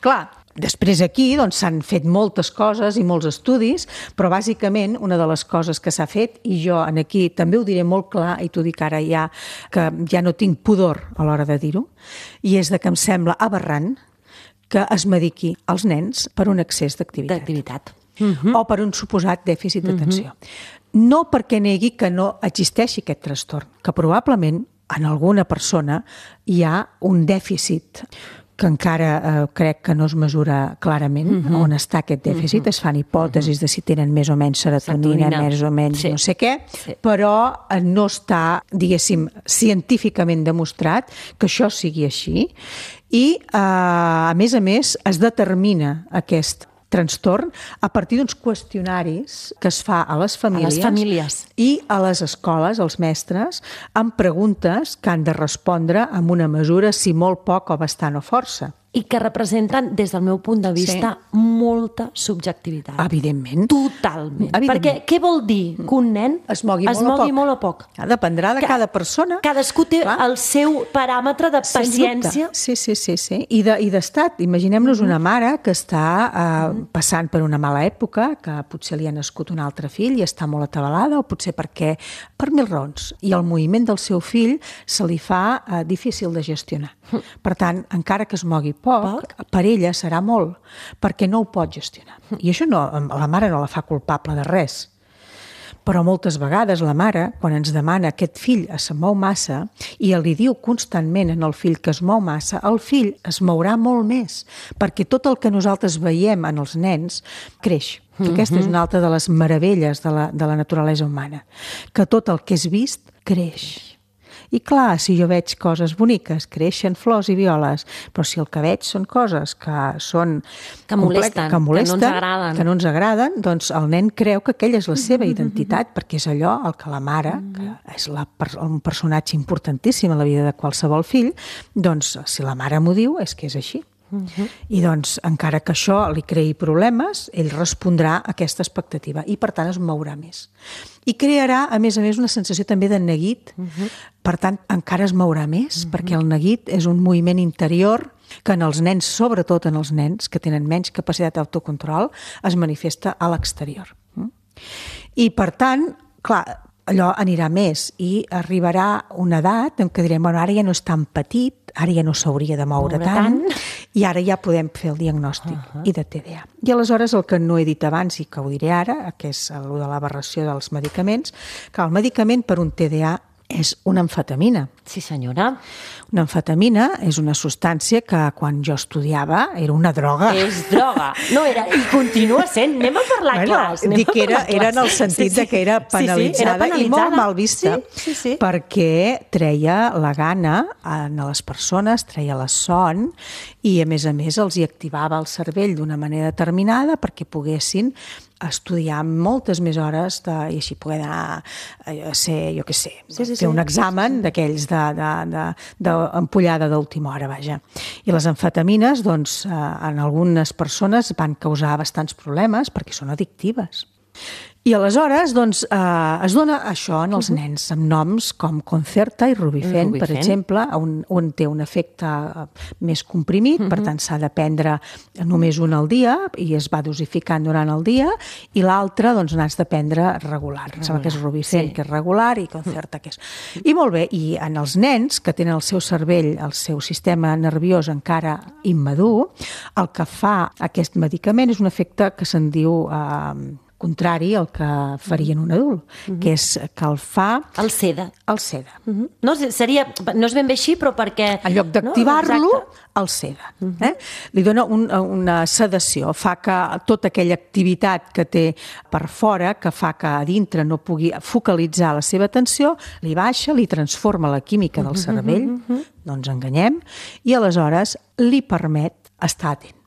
Clar, després aquí doncs, s'han fet moltes coses i molts estudis, però bàsicament una de les coses que s'ha fet, i jo en aquí també ho diré molt clar, i t'ho dic ara ja, que ja no tinc pudor a l'hora de dir-ho, i és de que em sembla aberrant que es mediqui als nens per un excés d'activitat. D'activitat. Uh-huh. O per un suposat dèficit d'atenció. Uh-huh. No perquè negui que no existeixi aquest trastorn, que probablement en alguna persona hi ha un dèficit que encara eh, crec que no es mesura clarament uh-huh. on està aquest dèficit. Uh-huh. Es fan hipòtesis uh-huh. de si tenen més o menys serotonina, serotonina. més o menys sí. no sé què, sí. però no està, diguéssim, científicament demostrat que això sigui així. I, eh, a més a més, es determina aquest trastorn a partir d'uns qüestionaris que es fa a les famílies, a les famílies. i a les escoles, als mestres, amb preguntes que han de respondre amb una mesura, si molt poc o bastant o força. I que representen, des del meu punt de vista, sí. molta subjectivitat. Evidentment. Totalment. Evidentment. Perquè què vol dir que un nen es mogui, es molt, mogui a molt o poc? Dependrà de cada persona. Cadascú té Clar. el seu paràmetre de paciència. Sí, sí, sí, sí. I d'estat. Imaginem-nos una mare que està eh, passant per una mala època, que potser li ha nascut un altre fill i està molt atabalada, o potser perquè per mil raons. I el moviment del seu fill se li fa eh, difícil de gestionar. Per tant, encara que es mogui poc, poc, per ella serà molt, perquè no ho pot gestionar. I això no, la mare no la fa culpable de res. Però moltes vegades la mare, quan ens demana aquest fill es mou massa i li diu constantment en el fill que es mou massa, el fill es mourà molt més, perquè tot el que nosaltres veiem en els nens creix. Mm-hmm. Aquesta és una altra de les meravelles de la, de la naturalesa humana, que tot el que és vist creix. I clar, si jo veig coses boniques, creixen flors i violes, però si el que veig són coses que són... Que molesten, que, molesten, que no ens agraden. Que no ens agraden, doncs el nen creu que aquella és la seva mm-hmm. identitat, perquè és allò el que la mare, mm-hmm. que és la, un personatge importantíssim a la vida de qualsevol fill, doncs si la mare m'ho diu és que és així. Uh-huh. I doncs, encara que això li creï problemes, ell respondrà a aquesta expectativa i, per tant, es mourà més. I crearà, a més a més, una sensació també de neguit. Uh-huh. Per tant, encara es mourà més, uh-huh. perquè el neguit és un moviment interior que en els nens, sobretot en els nens que tenen menys capacitat d'autocontrol, es manifesta a l'exterior. Uh-huh. I, per tant, clar, allò anirà més i arribarà una edat en què direm, bueno, ara ja no és tan petit, ara ja no s'hauria de moure, moure tant, tant, i ara ja podem fer el diagnòstic uh-huh. i de T D A. I aleshores el que no he dit abans i que ho diré ara, que és el de l'aberració dels medicaments, que el medicament per un T D A és una amfetamina. Sí, senyora. Una amfetamina és una substància que quan jo estudiava era una droga. És droga. No, era, i continua sent. Anem a parlar bueno, clars. Dic que era, era en el sentit sí, sí. de que era penalitzada, sí, sí, era penalitzada i molt mal vista, sí, sí, sí. perquè treia la gana a les persones, treia la son i, a més a més, els hi activava el cervell d'una manera determinada perquè poguessin estudiar moltes més hores de, i així poder anar a ser, jo què sé, sí, sí, fer un sí. examen sí, sí. d'aquells de, de, de, d'ampollada d'última hora, vaja. I les amfetamines, doncs, en algunes persones van causar bastants problemes perquè són addictives. I aleshores, doncs, eh, es dona això en els nens, amb noms com Concerta i Rubifen, Rubifen. per exemple, on, on té un efecte més comprimit, uh-huh. per tant s'ha de prendre només un al dia i es va dosificant durant el dia, i l'altre, doncs, n'has de prendre regular. Em sembla que és Rubifen, sí. que és regular, i Concerta, que és... I molt bé, i en els nens que tenen el seu cervell, el seu sistema nerviós encara immadur, el que fa aquest medicament és un efecte que se'n diu... Eh, contrari al que farien un adult, uh-huh. que és que el fa... El seda. El seda. Uh-huh. No, seria, no és ben bé així, però perquè... En lloc d'activar-lo, no? El seda. Uh-huh. eh? Li dona un, una sedació, fa que tota aquella activitat que té per fora, que fa que a dintre no pugui focalitzar la seva atenció, li baixa, li transforma la química del cervell, uh-huh. no ens enganyem, i aleshores li permet estar atent.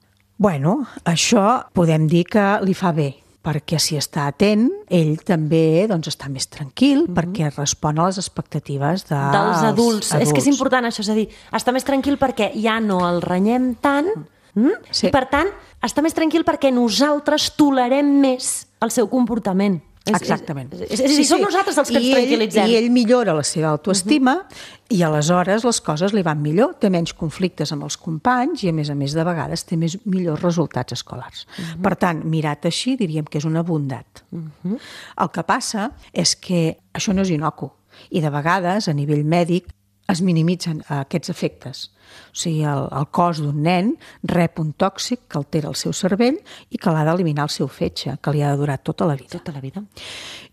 Bueno, això podem dir que li fa bé, perquè si està atent, ell també doncs, està més tranquil, mm-hmm. perquè respon a les expectatives de dels adults. adults. És que és important això, és a dir, està més tranquil perquè ja no el renyem tant, mm? sí. i per tant, està més tranquil perquè nosaltres tolerem més el seu comportament. Exactament. És, és, és, és, sí, som sí. nosaltres els que I ens tranquil·litzem. Ell, I ell millora la seva autoestima uh-huh. i aleshores les coses li van millor, té menys conflictes amb els companys i a més a més de vegades té més millors resultats escolars. Uh-huh. Per tant, mirat així diríem que és una bondat. Uh-huh. El que passa és que això no és inocu i de vegades a nivell mèdic es minimitzen aquests efectes. O sigui, el, el cos d'un nen rep un tòxic que altera el seu cervell i que l'ha d'eliminar el seu fetge, que li ha de durar tota la vida. Tota la vida.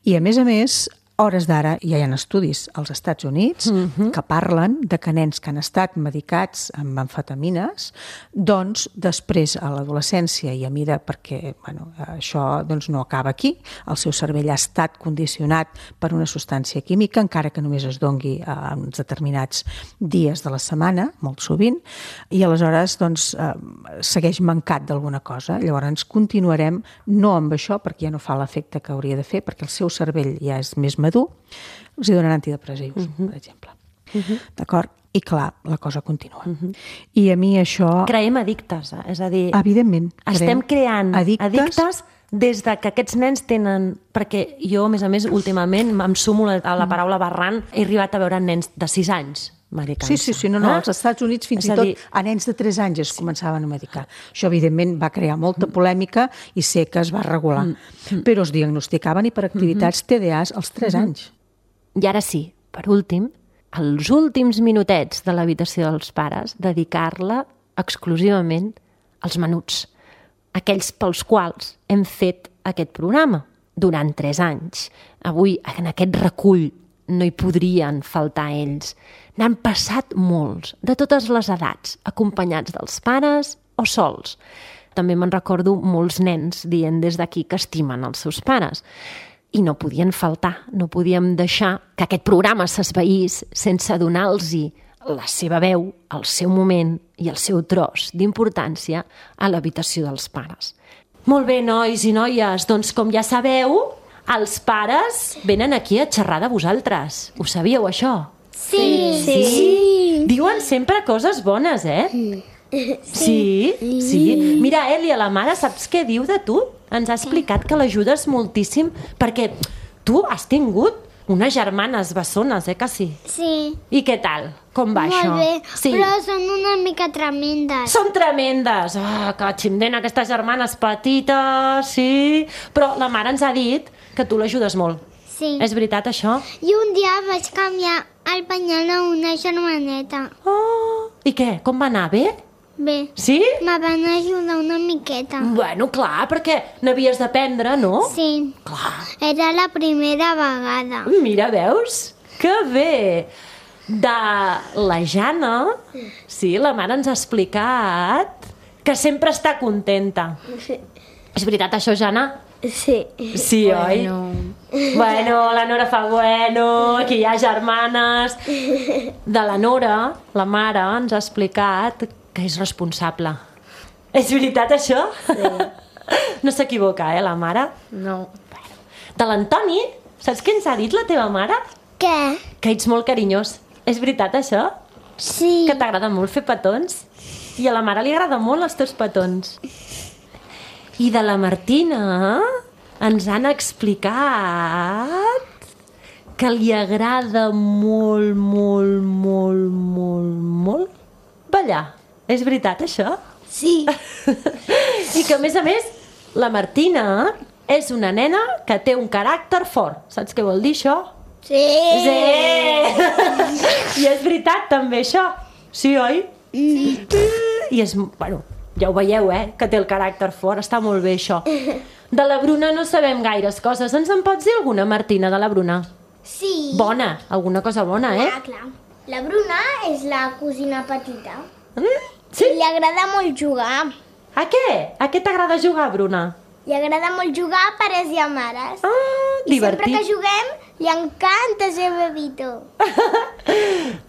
I a més a més, hores d'ara ja hi ha estudis als Estats Units uh-huh. que parlen de que nens que han estat medicats amb amfetamines, doncs després a l'adolescència i a mida, perquè bueno, això doncs, no acaba aquí, el seu cervell ha estat condicionat per una substància química, encara que només es dongui a uns determinats dies de la setmana, molt sovint, i aleshores doncs, eh, segueix mancat d'alguna cosa. Llavors continuarem no amb això, perquè ja no fa l'efecte que hauria de fer, perquè el seu cervell ja és més madur, els hi donen antidepressius, uh-huh. per exemple. Uh-huh. D'acord? I clar, la cosa continua. Uh-huh. I a mi això... Creem addictes, eh? És a dir... Evidentment. Estem creant addictes, addictes des de que aquests nens tenen... Perquè jo, a més a més, últimament em sumo a la paraula barrant, he arribat a veure nens de sis anys medicant-se. Sí, sí, sí, no, no, als Estats Units fins i tot dir... a nens de tres anys es començaven a medicar. Això, evidentment, va crear molta polèmica i sé que es va regular. Mm. Però es diagnosticaven hiperactivitats T D As als tres anys. I ara sí, per últim, els últims minutets de l'habitació dels pares, dedicar-la exclusivament als menuts, aquells pels quals hem fet aquest programa durant tres anys. Avui, en aquest recull, no hi podrien faltar ells. N'han passat molts, de totes les edats, acompanyats dels pares o sols. També me'n recordo molts nens dient des d'aquí que estimen els seus pares. I no podien faltar, no podíem deixar que aquest programa s'esvaís sense donar-los la seva veu, el seu moment i el seu tros d'importància a l'habitació dels pares. Molt bé, nois i noies, doncs com ja sabeu, els pares venen aquí a xerrar de vosaltres. Ho sabíeu, això? Sí. Sí? sí. Diuen sempre coses bones, eh? Sí? Sí. sí. Mira, Èlia, la mare, saps què diu de tu? Ens ha explicat que l'ajudes moltíssim perquè tu has tingut unes germanes bessones, eh, que sí? Sí. I què tal? Com va Molt això? Molt bé, sí. però són una mica tremendes. Són tremendes! Ah, que ximden aquestes germanes petites, sí... Però la mare ens ha dit que tu l'ajudes molt. Sí. És veritat, això? I un dia vaig canviar el penyal a una germaneta. Oh, i què? Com va anar? Bé? Bé. Sí? Me van ajudar una miqueta. Bueno, clar, perquè n'havies d'aprendre, no? Sí. Clar. Era la primera vegada. Mira, veus? Que bé! De la Jana, sí, la mare ens ha explicat que sempre està contenta. Sí. És veritat, això, Jana? Sí. Sí, bueno. oi? Bueno, la Nora fa bueno, aquí hi ha germanes. De la Nora, la mare ens ha explicat que és responsable. És veritat, això? Sí. No s'equivoca, eh, la mare? No. De l'Antoni, saps què ens ha dit la teva mare? Què? Que ets molt carinyós. És veritat, això? Sí. Que t'agrada molt fer petons? I a la mare li agrada molt els teus petons. I de la Martina ens han explicat que li agrada molt, molt, molt, molt, molt ballar. És veritat, això? Sí. I que, a més a més, la Martina és una nena que té un caràcter fort. Saps què vol dir, això? Sí. Sí. I és veritat, també, això. Sí, oi? Sí. I és, bueno, ja ho veieu, eh? Que té el caràcter fort. Està molt bé, això. De la Bruna no sabem gaires coses. Ens en pots dir alguna, Martina, de la Bruna? Sí. Bona, alguna cosa bona, eh? Clar, clar. La Bruna és la cosina petita. Mm? Sí? Li agrada molt jugar. A què? A què t'agrada jugar, Bruna? Li agrada molt jugar a pares i a mares. Ah, I divertit. sempre que juguem, li encanta ser bebito.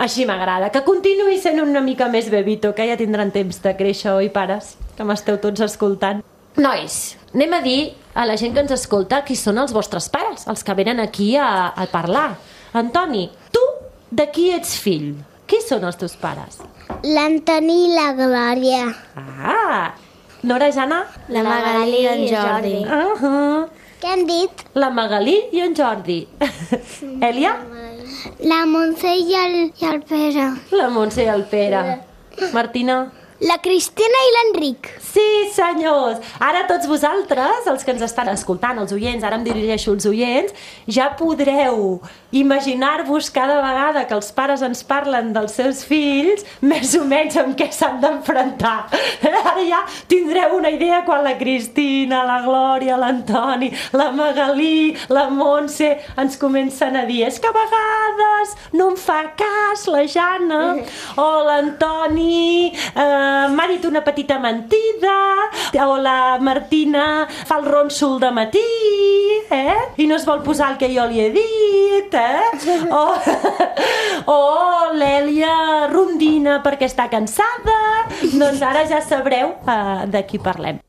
Així m'agrada, que continuï sent una mica més bebito, que ja tindran temps de créixer, oi, pares? Que m'esteu tots escoltant. Nois, anem a dir a la gent que ens escolta qui són els vostres pares, els que venen aquí a, a parlar. Antoni, tu de qui ets fill? Qui són els teus pares? L'Antoni i la Glòria. Ah, Nora, Jana? La Magalí i en Jordi. Uh -huh. Què han dit? La Magalí i en Jordi. Èlia? La Montse i el, i el Pere. La Montse i el Pere. Martina? La Cristina i l'Enric. Sí, senyors! Ara tots vosaltres, els que ens estan escoltant, els oients, ara em dirigeixo als oients, ja podreu imaginar-vos cada vegada que els pares ens parlen dels seus fills, més o menys amb què s'han d'enfrontar. Ara ja tindreu una idea quan la Cristina, la Glòria, l'Antoni, la Magalí, la Montse ens comencen a dir és que a vegades no em fa cas la Jana, o l'Antoni eh, m'ha dit una petita mentida, o la Martina fa el ronsol de matí, eh? I no es vol posar el que jo li he dit, eh? O, o l'Èlia rondina perquè està cansada. Doncs ara ja sabreu uh, de qui parlem.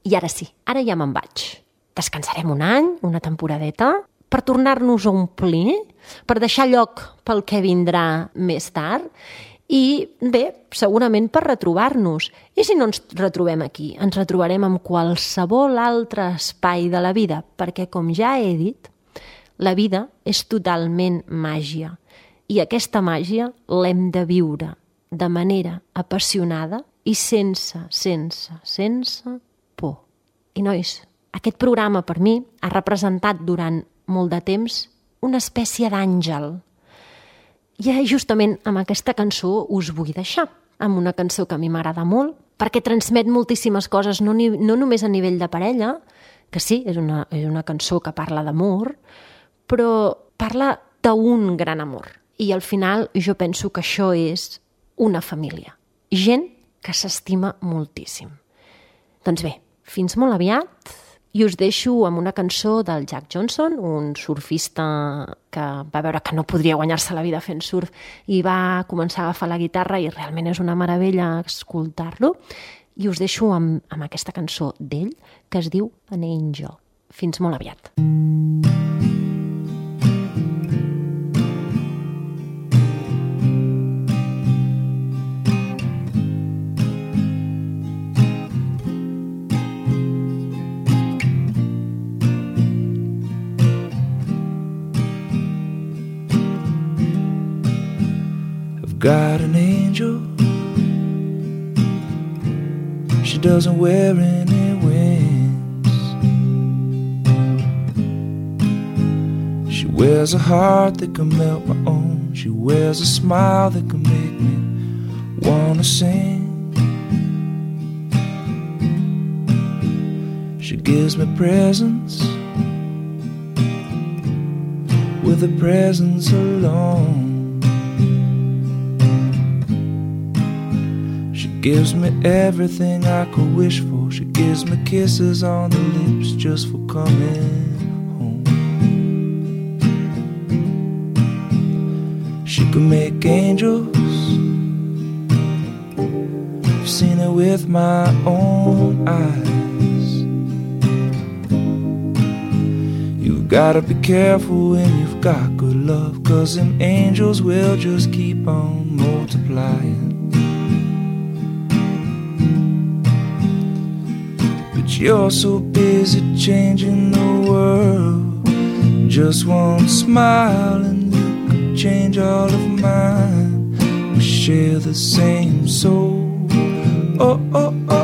I ara sí, ara ja me'n vaig. Descansarem un any, una temporadeta, per tornar-nos a omplir, per deixar lloc pel que vindrà més tard, i bé, segurament per retrobar-nos. I si no ens retrobem aquí, ens retrobarem en qualsevol altre espai de la vida, perquè, com ja he dit, la vida és totalment màgia. I aquesta màgia l'hem de viure de manera apassionada i sense, sense, sense por. I, nois, aquest programa per mi ha representat durant molt de temps una espècie d'àngel. I justament amb aquesta cançó us vull deixar, amb una cançó que a mi m'agrada molt, perquè transmet moltíssimes coses, no, ni, no només a nivell de parella, que sí, és una, és una cançó que parla d'amor, però parla d'un gran amor. I al final jo penso que això és una família. Gent que s'estima moltíssim. Doncs bé, fins molt aviat, i us deixo amb una cançó del Jack Johnson, un surfista que va veure que no podria guanyar-se la vida fent surf i va començar a agafar la guitarra i realment és una meravella escoltar-lo. I us deixo amb, amb aquesta cançó d'ell que es diu An Angel. Fins molt aviat. Got an angel. She doesn't wear any wings. She wears a heart that can melt my own. She wears a smile that can make me wanna sing. She gives me presents with a presence alone. Gives me everything I could wish for. She gives me kisses on the lips just for coming home. She can make angels. I've seen it with my own eyes. You've gotta be careful when you've got good love, 'cause them angels will just keep on multiplying. You're so busy changing the world. Just one smile and you could change all of mine. We share the same soul. Oh, oh, oh.